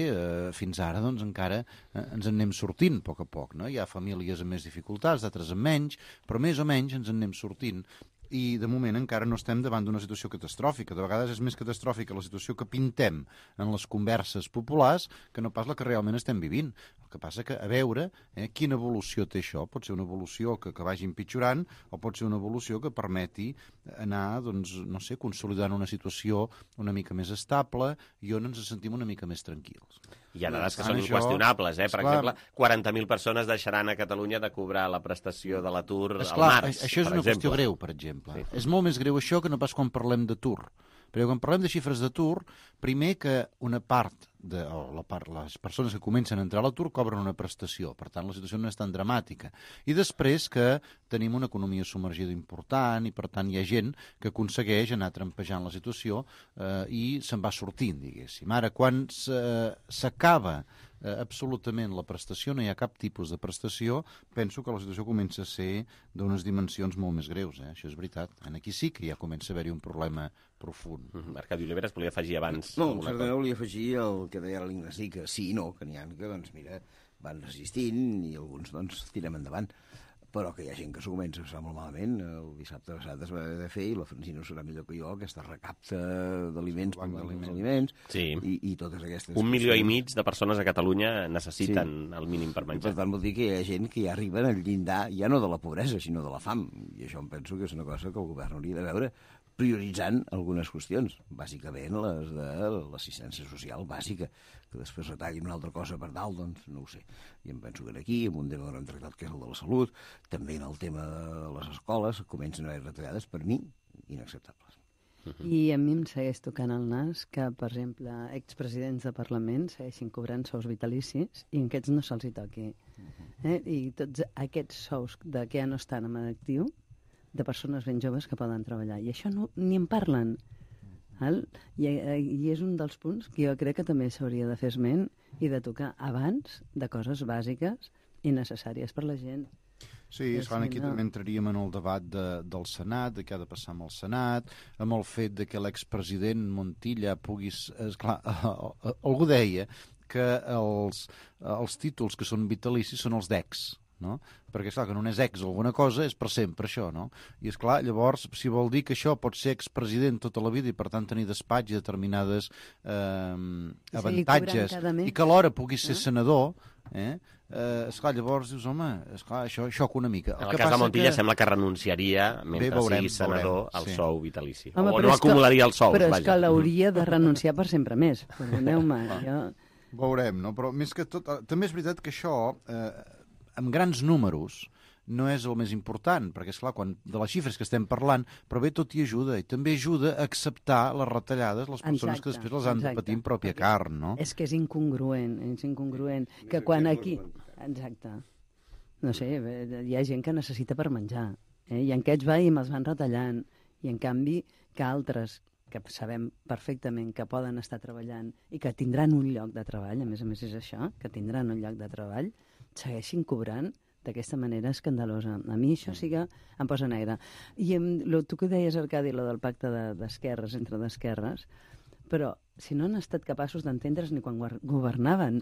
fins ara doncs encara ens en anem sortint a poc, no? Hi ha famílies amb més dificultats, d'altres amb menys, però més o menys ens en anem sortint. i de moment encara no estem davant d'una situació catastròfica. De vegades és més catastròfica la situació que pintem en les converses populars que no pas la que realment estem vivint. El que passa que a veure quina evolució té això. Pot ser una evolució que vagi empitjorant o pot ser una evolució que permeti anar, doncs, no sé, consolidant una situació una mica més estable i on ens sentim una mica més tranquils. Hi ha dades que són inqüestionables, Per exemple, 40.000 persones deixaran a Catalunya de cobrar la prestació de l'atur al març. Això és una qüestió greu, per exemple. Sí. És molt més greu això que no pas quan parlem d'atur. Perquè quan parlem de xifres d'atur, primer que una part les persones que comencen a entrar a l'atur cobren una prestació, per tant la situació no és tan dramàtica. I després que tenim una economia submergida important i per tant hi ha gent que aconsegueix anar trampejant la situació i se'n va sortint, diguéssim. Ara, quan s'acaba absolutament la prestació, no hi ha cap tipus de prestació, penso que la situació comença a ser d'unes dimensions molt més greus, Això és veritat. Aquí sí que ja comença a haver-hi un problema profund. Arcadi Oliveres volia afegir abans... No, certament volia afegir el que deia l'Ignasi, que sí i no, que n'hi ha que, doncs, mira, van resistint i alguns, doncs, tirem endavant. Però que hi ha gent que s'ho comença a passar molt malament. El dissabte passat es va haver de fer, i la Francina serà millor que jo, aquesta recapta d'aliments, i totes aquestes... 1,5 milió de persones a Catalunya necessiten el mínim per menjar. I per tant vol dir que hi ha gent que ja arriben al llindar, ja no de la pobresa, sinó de la fam. I això em penso que és una cosa que el govern hauria de veure, prioritzant algunes qüestions, bàsicament les de l'assistència social bàsica, que després retallin una altra cosa per dalt, doncs no ho sé. I em penso que aquí, en un tema que no hem tractat, que és el de la salut, també en el tema de les escoles, comencen a haver retallades, per mi, inacceptables. I a mi em segueix tocant el nas que, per exemple, expresidents de Parlament segueixin cobrant sous vitalicis i aquests no se'ls hi toqui. I tots aquests sous que ja no estan en actiu, de persones ben joves que poden treballar. I això ni en parlen. I és un dels punts que jo crec que també s'hauria de fer esment i de tocar abans de coses bàsiques i necessàries per la gent. Sí, esclar, aquí també entraríem en el debat del Senat, de què ha de passar amb el Senat, amb el fet de que l'expresident Montilla puguis... Esclar, algú deia que els títols que són vitalicis són els d'ex, no? Perquè, esclar, que no és ex alguna cosa, és per sempre això, no? I, esclar, llavors, si vol dir que això pot ser expresident tota la vida i, per tant, tenir despatx i determinades avantatges, i que alhora pugui ser senador, esclar, llavors dius, home, esclar, això xoca una mica. En el cas de Montilla sembla que renunciaria, mentre sigui senador, al sou vitalici. O no acumularia els sous, vaja. Però és que l'hauria de renunciar per sempre més. Perdoneu-me, jo... Veurem, no? Però més que tot... També és veritat que això... amb grans números no és el més important, perquè, esclar, de les xifres que estem parlant, però bé, tot hi ajuda, i també ajuda a acceptar les retallades, les persones que després les han de patir en pròpia carn, no? És que és incongruent, que quan aquí... Exacte. No sé, hi ha gent que necessita per menjar, i en aquests els van retallant, i en canvi que altres que sabem perfectament que poden estar treballant i que tindran un lloc de treball, a més és això, que tindran un lloc de treball, segueixin cobrant d'aquesta manera escandalosa. A mi això sí que em posa negre. I tu que deies, Arcadi, del pacte d'esquerres, entre d'esquerres, però si no han estat capaços d'entendre's ni quan governaven.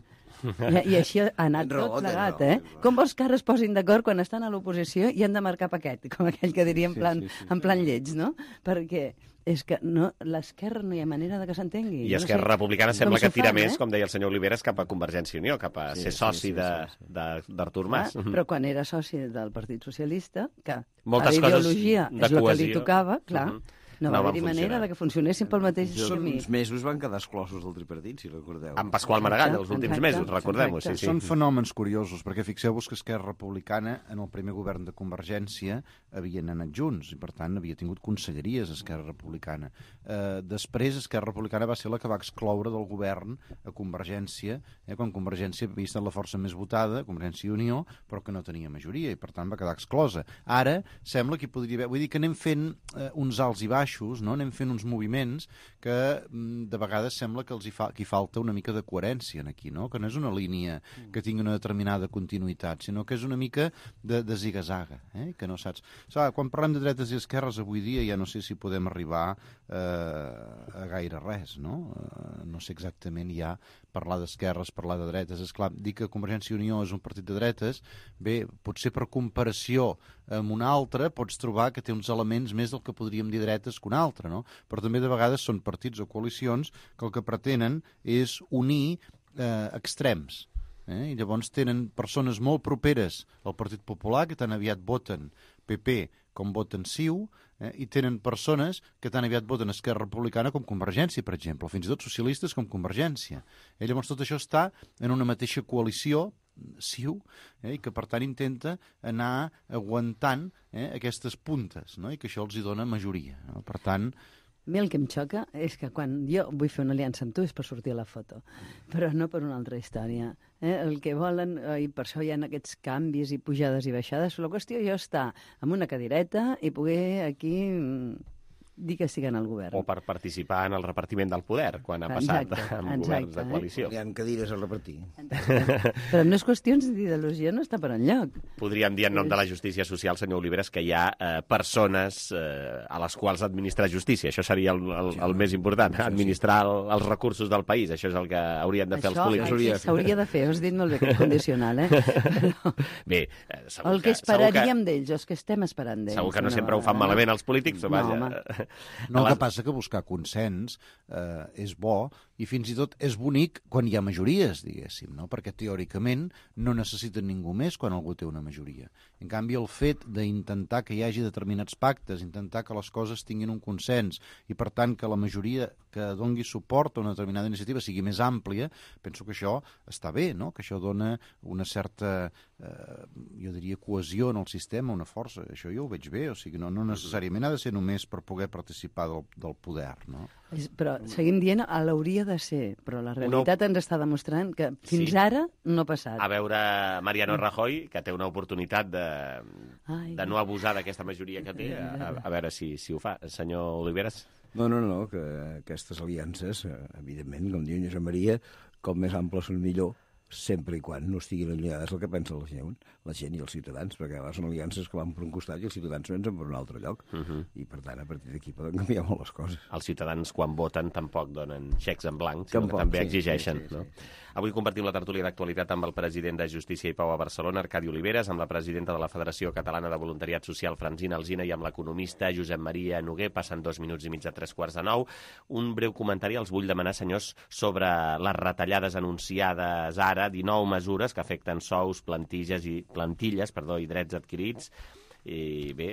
I així ha anat tot plegat, Com vols que ara es posin d'acord quan estan a l'oposició i han de marcar paquet, com aquell que diria en plan lleig, no? Perquè és que l'esquerra no hi ha manera de que s'entengui. I Esquerra Republicana sembla que tira més, com deia el senyor Oliveres, cap a Convergència i Unió, cap a ser soci d'Artur Mas. Però quan era soci del Partit Socialista, que a ideologia és el que li tocava, clar, no va haver-hi manera de que funcionessin pel mateix camí. Uns mesos van quedar exclosos del tripartit, si recordeu. Amb Pasqual Maragall, els últims mesos, recordem-ho. Són fenòmens curiosos, perquè fixeu-vos que Esquerra Republicana, en el primer govern de Convergència, havien anat junts, i per tant havia tingut conselleries Esquerra Republicana. Després, Esquerra Republicana va ser la que va excloure del govern a Convergència, quan Convergència havia estat la força més votada, Convergència i Unió, però que no tenia majoria, i per tant va quedar exclosa. Ara, sembla que hi podria haver... Vull dir que anem fent uns alts i baixos, no? Anem fent uns moviments que de vegades sembla que hi falta una mica de coherència aquí, no? Que no és una línia que tingui una determinada continuïtat, sinó que és una mica de ziga-zaga, que no saps... Quan parlem de dretes i esquerres avui dia ja no sé si podem arribar a gaire res, no? No sé exactament ja parlar d'esquerres, parlar de dretes. Esclar, dir que Convergència i Unió és un partit de dretes, bé, potser per comparació amb un altre pots trobar que té uns elements més del que podríem dir dretes que un altre, no? Però també de vegades són partits o coalicions que el que pretenen és unir extrems. I llavors tenen persones molt properes al Partit Popular que tan aviat voten PP com voten CiU, i tenen persones que tan aviat voten Esquerra Republicana com Convergència, per exemple, fins i tot socialistes com Convergència. Llavors tot això està en una mateixa coalició, CiU, i que per tant intenta anar aguantant aquestes puntes, no? I que això els hi dona majoria. No? Per tant, a mi el que em xoca és que quan jo vull fer una aliança amb tu és per sortir a la foto, però no per una altra història. El que volen, i per això hi ha aquests canvis i pujades i baixades, la qüestió jo està amb una cadireta i poder aquí dir que estiguen al govern. O per participar en el repartiment del poder, quan ha passat amb governs de coalició. Hi ha cadires a repartir. Però no és qüestions d'ideologia, no està per enlloc. Podríem dir en nom de la justícia social, senyor Oliveres, que hi ha persones a les quals administrar justícia. Això seria el més important, administrar els recursos del país. Això és el que haurien de fer els polítics. Això s'hauria de fer, has dit molt bé que és condicional, Bé, segur el que esperaríem d'ells, els que estem esperant d'ells. Segur que no sempre ho fan malament els polítics, però vaja. No, el que passa que buscar consens és bo i fins i tot és bonic quan hi ha majories, diguéssim, no? Perquè teòricament no necessiten ningú més quan algú té una majoria. En canvi, el fet d'intentar que hi hagi determinats pactes, intentar que les coses tinguin un consens i, per tant, que la majoria que dongui suport a una determinada iniciativa sigui més àmplia, penso que això està bé, no? Que això dona una certa, jo diria, cohesió en el sistema, una força. Això jo ho veig bé, o sigui, no necessàriament ha de ser només per poder participar del poder, no? Però seguim dient, l'hauria de ser, però la realitat ens està demostrant que fins ara no ha passat. A veure, Mariano Rajoy, que té una oportunitat de no abusar d'aquesta majoria que té, a veure si ho fa. Senyor Oliveres? No, que aquestes aliances, evidentment, com diu Josep Maria, com més amples són millor, sempre i quan no estiguin allunyades el que pensa la gent i els ciutadans, perquè a vegades són aliances que van per un costat i els ciutadans pensen per un altre lloc. I, per tant, a partir d'aquí poden canviar molt les coses. Els ciutadans, quan voten, tampoc donen xecs en blanc, sinó que també exigeixen. No? Avui compartim la tertúlia d'actualitat amb el president de Justícia i Pau a Barcelona, Arcadi Oliveres, amb la presidenta de la Federació Catalana de Voluntariat Social, Francina Alsina, i amb l'economista Josep Maria Noguer. Passen 2 minuts i mig de 3:45. Un breu comentari els vull demanar, senyors, sobre les retallades anunciades ara, 19 mesures que afecten sous, plantilles i drets adquirits. I bé,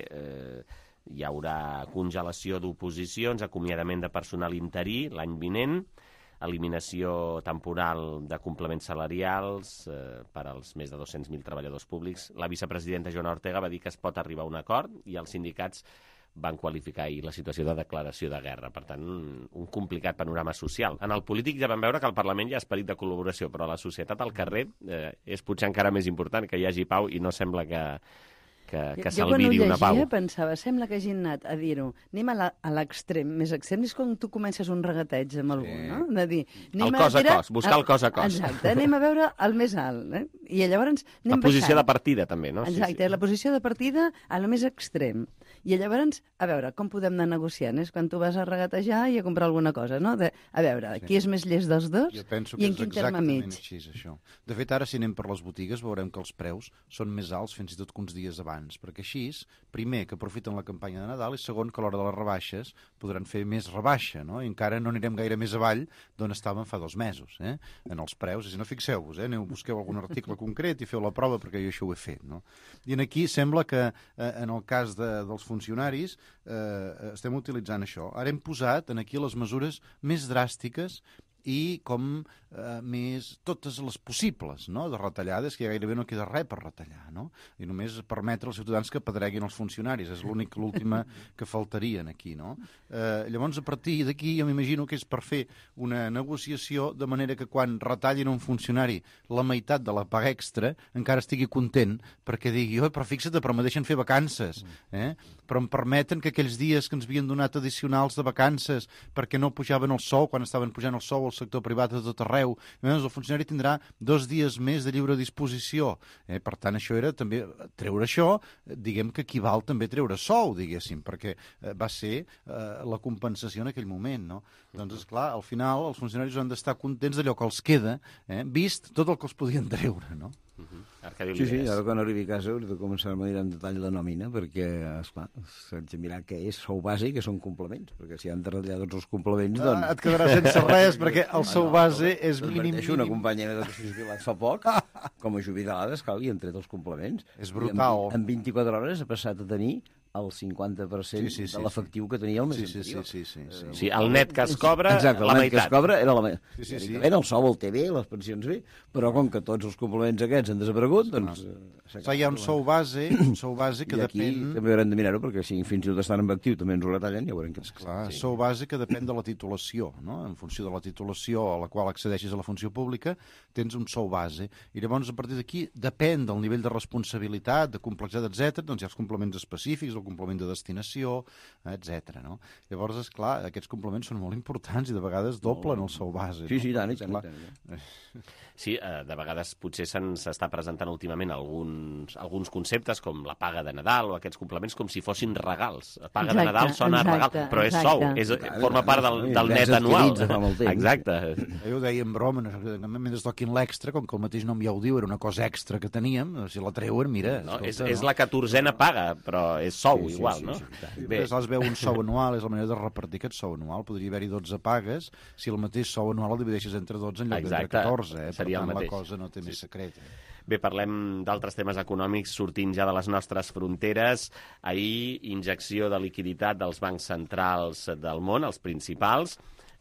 hi haurà congelació d'oposicions, acomiadament de personal interí l'any vinent, eliminació temporal de complements salarials per als més de 200.000 treballadors públics. La vicepresidenta Joana Ortega va dir que es pot arribar a un acord i els sindicats van qualificar ahir la situació de declaració de guerra. Per tant, un complicat panorama social. En el polític ja vam veure que al Parlament hi ha esperit de col·laboració, però a la societat al carrer és potser encara més important que hi hagi pau i no sembla que s'alviri una pau. Jo quan ho llegia pensava, sembla que hagin anat a dir-ho, anem a l'extrem, més extrem, és com tu comences un regateig amb algú, no? De dir, el cos a cos, buscar el cos a cos. Exacte, anem a veure el més alt, i llavors anem la posició de partida, també, no? Exacte, la posició de partida a lo més extrem. I llavors, a veure, com podem anar negociant? És quan tu vas a regatejar i a comprar alguna cosa, no? A veure, qui és més llest dels dos i en quin terme mig. Així, això. De fet, ara, si anem per les botigues, veurem que els preus són més alts fins i tot que uns dies abans, perquè així, primer, que aprofiten la campanya de Nadal, i segon, que a l'hora de les rebaixes podran fer més rebaixa, no? I encara no anirem gaire més avall d'on estàvem fa 2 mesos, en els preus. Si no, fixeu-vos, busqueu algun article concret i feu la prova, perquè jo això ho he fet, no? I aquí sembla que, en el cas dels funcionaris, estem utilitzant això. Ara hem posat aquí les mesures més dràstiques i com més totes les possibles, no?, de retallades, que gairebé no queda res per retallar, no? I només permetre als ciutadans que pedreguin els funcionaris. És l'última que faltarien aquí, no? Llavors, a partir d'aquí, jo m'imagino que és per fer una negociació de manera que quan retallin un funcionari la meitat de la paga extra, encara estigui content, perquè digui, però fixa't, però me deixen fer vacances, però em permeten que aquells dies que ens havien donat addicionals de vacances perquè no pujaven el sou, quan estaven pujant el sou al sector privat de tot arreu, el funcionari tindrà 2 dies més de lliure disposició. Per tant, això era també treure això, diguem que equival també a treure sou, diguéssim, perquè va ser la compensació en aquell moment, no? Doncs, esclar, al final els funcionaris han d'estar contents d'allò que els queda, vist tot el que els podien treure, no? Sí, ara quan arribi a casa hauré de començar a mirar en detall la nòmina, perquè, esclar, s'haig de mirar què és sou base i què són complements, perquè si han de retallar tots els complements, doncs... Et quedarà sense res, perquè el sou base és mínim. Una companya meva que s'ha jubilat fa poc, com a jubilada, esclar, li han tret els complements. És brutal. En 24 hores ha passat a tenir el 50% de l'efectiu que tenia el mes anterior. Sí, el net que es cobra, exacte, la el net que es meitat. cobra era la meitat. El sou el té bé, les pensions bé, però com que tots els complements aquests han desaparegut, doncs... Hi ha un sou base que I aquí depèn... també haurem de mirar-ho, perquè si fins i tot estan en actiu també ens ho retallen, ja veurem què és. Clar, sou base que depèn de la titulació, no? En funció de la titulació a la qual accedeixis a la funció pública, tens un sou base. I llavors, a partir d'aquí, depèn del nivell de responsabilitat, de complexitat, etc. Doncs hi ha els complements específics, el complement de destinació, etc. No? Llavors, esclar, aquests complements són molt importants i de vegades doblen el sou base. Sí, tant. Sí, de vegades potser s'està presentant últimament alguns conceptes com la paga de Nadal o aquests complements com si fossin regals. La paga de Nadal sona a regal, però és sou, forma part del net anual. Exacte. Jo ho deia en broma, mentre toquin l'extra, com que el mateix nom ja ho diu, era una cosa extra que teníem, si la treuen, mira... És la 14a paga, però és sou igual, no? Es veu un sou anual, és la manera de repartir aquest sou anual. Podria haver-hi 12 pagues si el mateix sou anual el divideixes entre 12 en lloc d'entre 14, Per tant, la cosa no té més secret. Bé, parlem d'altres temes econòmics sortint ja de les nostres fronteres. Ahir, injecció de liquiditat dels bancs centrals del món, els principals,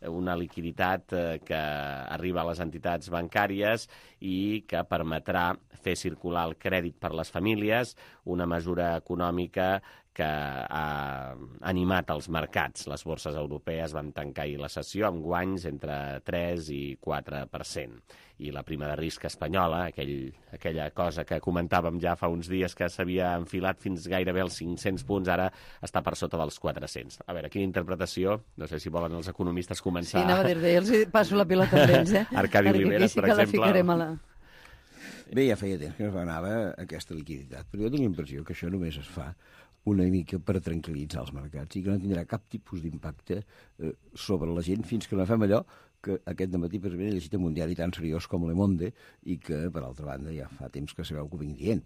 una liquiditat que arriba a les entitats bancàries i que permetrà fer circular el crèdit per les famílies, una mesura econòmica que ha animat els mercats. Les borses europees van tancar ahir la sessió amb guanys entre 3 i 4%. I la prima de risc espanyola, aquella cosa que comentàvem ja fa uns dies que s'havia enfilat fins gairebé als 500 punts, ara està per sota dels 400. A veure, quina interpretació? No sé si volen els economistes començar... Sí, anava a dir-bé, els passo la pilota amb ells, Arcadi Oliveres, per exemple. Bé, ja feia temps que es anava aquesta liquiditat, però jo tinc la impressió que això només es fa una mica per tranquil·litzar els mercats i que no tindrà cap tipus d'impacte sobre la gent fins que no fem allò que aquest dematí precisament he llegit en un diari tan seriós com Le Monde i que, per altra banda, ja fa temps que sabeu que ho vinc dient.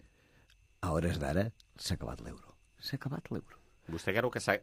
A hores d'ara s'ha acabat l'euro. S'ha acabat l'euro. Vostè creu que s'ha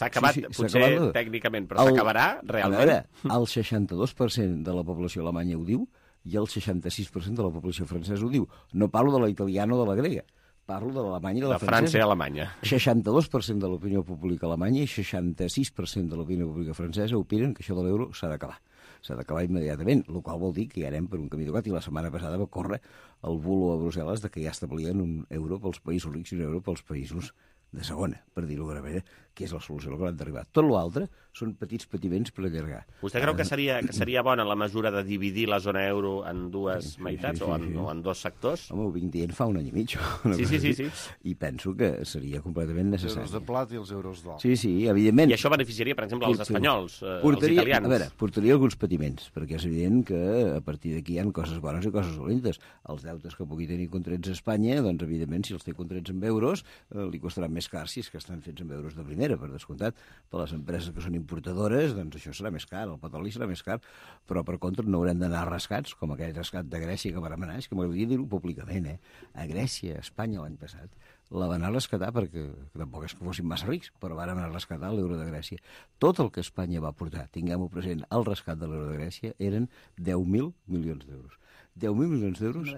acabat, potser tècnicament, però s'acabarà realment? A veure, el 62% de la població alemanya ho diu i el 66% de la població francesa ho diu. No parlo de la italiana o de la grega. Parlo de l'Alemanya i de la francesa. França i Alemanya. 62% de l'opinió pública alemanya i 66% de l'opinió pública francesa opinen que això de l'euro s'ha d'acabar. S'ha d'acabar immediatament, el qual vol dir que ja anem per un camí tocat i la setmana passada va córrer el bulo a Brussel·les de que ja establien un euro pels països rics i un euro pels països de segona, per dir-ho d'alguna manera, que és la solució a la que han d'arribar. Tot l'altre són petits patiments per allargar. Vostè creu que seria bona la mesura de dividir la zona euro en dues meitats o en dos sectors? Home, ho vinc dient fa un any i mig. Sí. I penso que seria completament necessari. Els euros de plat i els euros d'or. Sí, evidentment. I això beneficiaria, per exemple, els espanyols, els italians. A veure, portaria alguns patiments, perquè és evident que a partir d'aquí hi ha coses bones i coses dolentes. Els deutes que pugui tenir contrets a Espanya, doncs, evidentment, si els té contrets en euros, li costaran més cars si és que estan fets en euros de primera, per descomptat. Per les empreses que són importadores, doncs això serà més car, el petroli serà més car, però per contra no haurem d'anar rascats, com aquell rescat de Grècia que vam anar, és que m'agradaria dir-ho públicament, a Grècia, a Espanya l'any passat, la van anar a rescatar perquè tampoc és que fossin massa rics, però van anar a rescatar l'euro de Grècia. Tot el que Espanya va portar, tinguem-ho present, al rescat de l'euro de Grècia eren 10.000 milions d'euros. 10.000 milions d'euros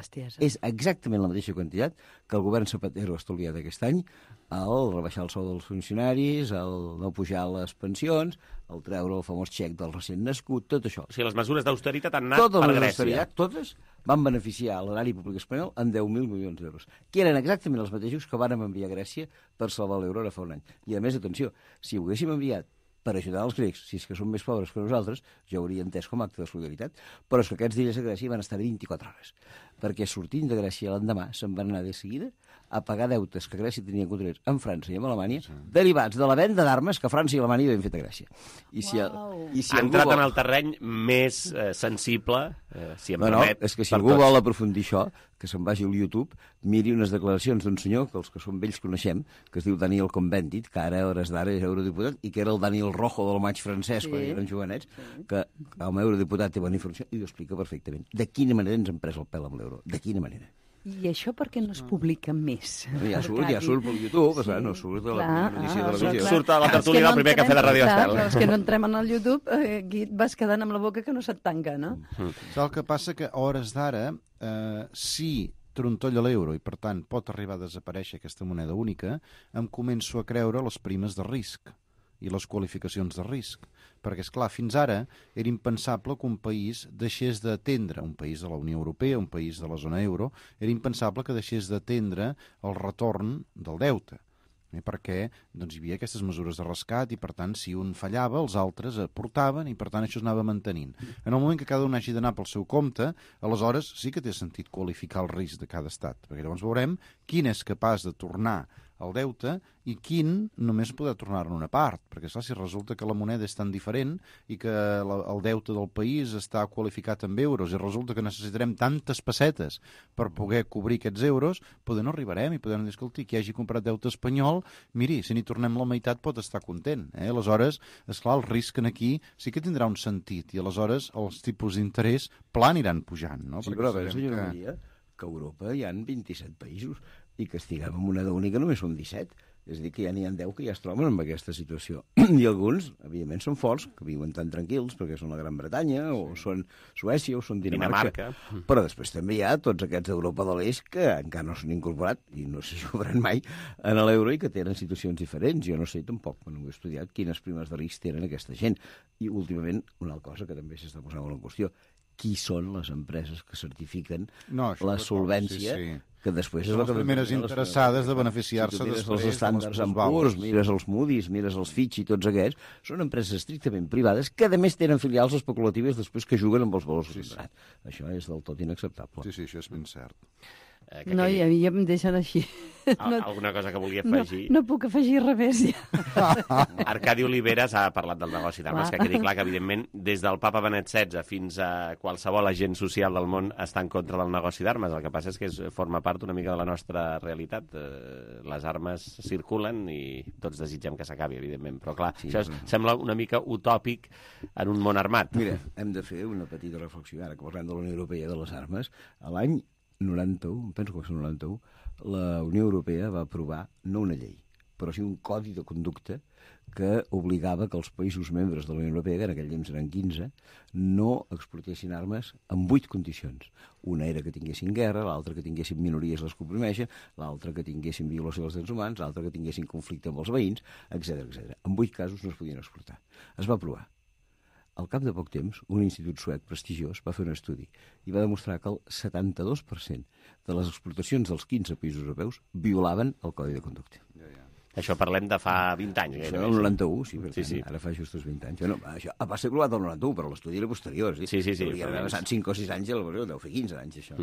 és exactament la mateixa quantitat que el govern Zapatero ha estalviat aquest any al rebaixar el sou dels funcionaris, al no pujar les pensions, al treure el famós xec del recent nascut, tot això. O sigui, les mesures d'austeritat han anat per Grècia. Totes van beneficiar l'erari públic espanyol en 10.000 milions d'euros, que eren exactament els mateixos que vàrem enviar a Grècia per salvar l'euro ara fa un any. I a més, atenció, si ho haguéssim enviat per ajudar els grecs, si és que són més pobres que nosaltres, jo hauria entès com a acte de solidaritat, però és que aquests dies a Grècia van estar 24 hores, perquè sortint de Grècia l'endemà se'n van anar de seguida a pagar deutes que Grècia tenia contrets en França i en Alemanya, derivats de la venda d'armes que França i Alemanya havien fet a Grècia. Ha entrat en el terreny més sensible, si em permet. És que si algú vol aprofundir això, que se'n vagi al YouTube, miri unes declaracions d'un senyor que els que som vells coneixem, que es diu Daniel Cohn-Bendit, que ara a hores d'ara és eurodiputat, i que era el Daniel Rojo del maig francès quan eren jovenets, que com a eurodiputat té bona informació i ho explica perfectament. De quina manera ens hem pres el pèl amb l'euro? De quina manera? I això per què no es publica més? Ja surt pel YouTube, sí. No surt a la notícia de televisió. Surt a la tertúlia del primer cafè de Radio Estel. Els que no entrem en el YouTube, aquí et vas quedant amb la boca que no se't tanca, no? El que passa que a hores d'ara, si trontolla l'euro i, per tant, pot arribar a desaparèixer aquesta moneda única, em començo a creure les primes de risc i les qualificacions de risc. Perquè, esclar, fins ara era impensable que un país deixés d'atendre, un país de la Unió Europea, un país de la zona euro, era impensable que deixés d'atendre el retorn del deute. Perquè doncs, hi havia aquestes mesures de rescat i, per tant, si un fallava, els altres aportaven i, per tant, això es anava mantenint. En el moment que cada un hagi d'anar pel seu compte, aleshores sí que té sentit qualificar el risc de cada estat, perquè llavors veurem quin és capaç de tornar el deute i quin només podrà tornar en una part, perquè clar, si resulta que la moneda és tan diferent i que el deute del país està qualificat en euros i resulta que necessitarem tantes pessetes per poder cobrir aquests euros, poder no arribarem i podem dir, escolti, qui hagi comprat deute espanyol, miri, si n'hi tornem la meitat pot estar content. Aleshores, esclar, el risc aquí sí que tindrà un sentit i aleshores els tipus d'interès pla aniran pujant. No? Sí, però a veure, senyora Maria, que a Europa hi ha 27 països i que estiguem en moneda única només són 17. És a dir, que ja n'hi ha 10 que ja es troben en aquesta situació. I alguns, evidentment, són forts, que viuen tan tranquils, perquè són la Gran Bretanya, o són Suècia, o són Dinamarca. Però després també hi ha tots aquests d'Europa de l'Est que encara no s'han incorporat, i no se jugaran mai, en l'euro i que tenen situacions diferents. Jo no sé tampoc, quan ho he estudiat, quines primes de risc tenen aquesta gent. I, últimament, una altra cosa que també s'està posant en qüestió, qui són les empreses que certifiquen la solvència, que després és les primeres interessades de beneficiar-se després. Els estàndards en Poor's, mires els Moody's, mires els Fitch i tots aquests, són empreses estrictament privades que, a més, tenen filials especulatives després que juguen amb els valors del mercat. Això és del tot inacceptable. Sí, això és ben cert. No, i a mi ja em deixen així. Alguna cosa que volia afegir? No puc afegir res més, ja. Arcadi Oliveres ha parlat del negoci d'armes, que quedi clar que, evidentment, des del papa Benet XVI fins a qualsevol agent social del món està en contra del negoci d'armes. El que passa és que forma part una mica de la nostra realitat. Les armes circulen i tots desitgem que s'acabi, evidentment. Però, clar, això sembla una mica utòpic en un món armat. Mira, hem de fer una petita reflexió, ara que parlem de la Unió Europea de les armes. A l'any 91, penso que va ser 91, la Unió Europea va aprovar no una llei, però sí un codi de conducta que obligava que els països membres de la Unió Europea, que en aquell temps eren 15, no exportessin armes en 8 condicions. Una era que tinguessin guerra, l'altra que tinguessin minories les que oprimeixen, l'altra que tinguessin violació dels drets humans, l'altra que tinguessin conflicte amb els veïns, etc. En 8 casos no es podien exportar. Es va aprovar. Al cap de poc temps, un institut suec prestigiós va fer un estudi i va demostrar que el 72% de les exportacions dels 15 països europeus violaven el codi de conducta. Això parlem de fa 20 anys. Això el 91, sí, per tant, ara fa justos 20 anys. Bueno, això va ser aprovat el 91, però l'estudi era posterior. Sí. Hauria d'haver passat 5 o 6 anys, deu fer 15 anys, això.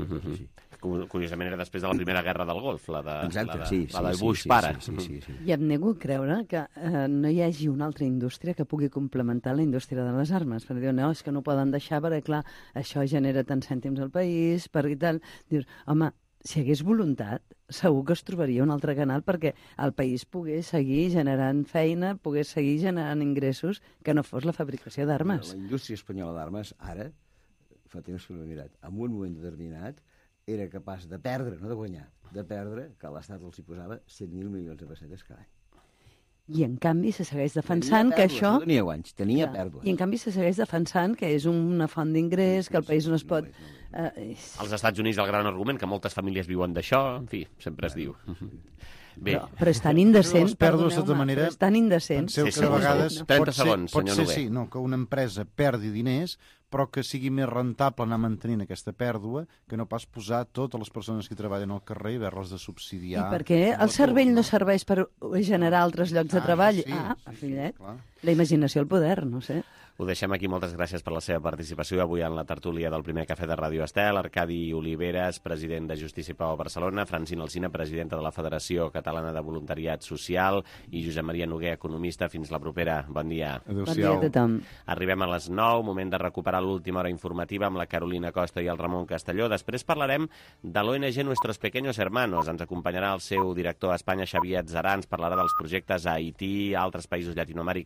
Curiosament era després de la primera guerra del Golf, la de Bush pare. I em nego a creure que no hi hagi una altra indústria que pugui complementar la indústria de les armes. Perquè diuen, no, és que no poden deixar, perquè, clar, això genera tants cèntims al país, perquè tal. Dius, home, si hi hagués voluntat, segur que es trobaria un altre canal perquè el país pogués seguir generant feina, pogués seguir generant ingressos que no fos la fabricació d'armes. La indústria espanyola d'armes, ara, fa temps que no he mirat, en un moment determinat era capaç de perdre, no de guanyar, de perdre, que l'Estat els hi posava 100.000 milions de pessetes cada any. I en canvi se segueix defensant que això... No tenia guanys, tenia pèrdues. I en canvi se segueix defensant que és una font d'ingrés, que el país no es pot... Als Estats Units el gran argument, que moltes famílies viuen d'això, en fi, sempre es diu. Bé. Però és tan indecent, perdoneu-me, però és tan indecent. Penseu que de vegades 30 segons, pot senyor ser, Noguer. que una empresa perdi diners, però que sigui més rentable anar mantenint aquesta pèrdua que no pas posar totes les persones que treballen al carrer i haver-les de subsidiar. I perquè el cervell no serveix per generar altres llocs de treball. Fillet, la imaginació al poder, no sé. Ho deixem aquí. Moltes gràcies per la seva participació avui en la tertúlia del primer cafè de Ràdio Estel. Arcadi Oliveres, president de Justícia i Pau a Barcelona, Francina Alsina, presidenta de la Federació Catalana de Voluntariat Social, i Josep Maria Noguer, economista. Fins la propera. Bon dia. Bon dia a tothom. Arribem a les 9, moment de recuperar l'última hora informativa amb la Carolina Costa i el Ramon Castelló. Després parlarem de l'ONG Nuestros Pequeños Hermanos. Ens acompanyarà el seu director a Espanya, Xavier Atzarà. Ens parlarà dels projectes a Haití, a altres països llatinoamericans.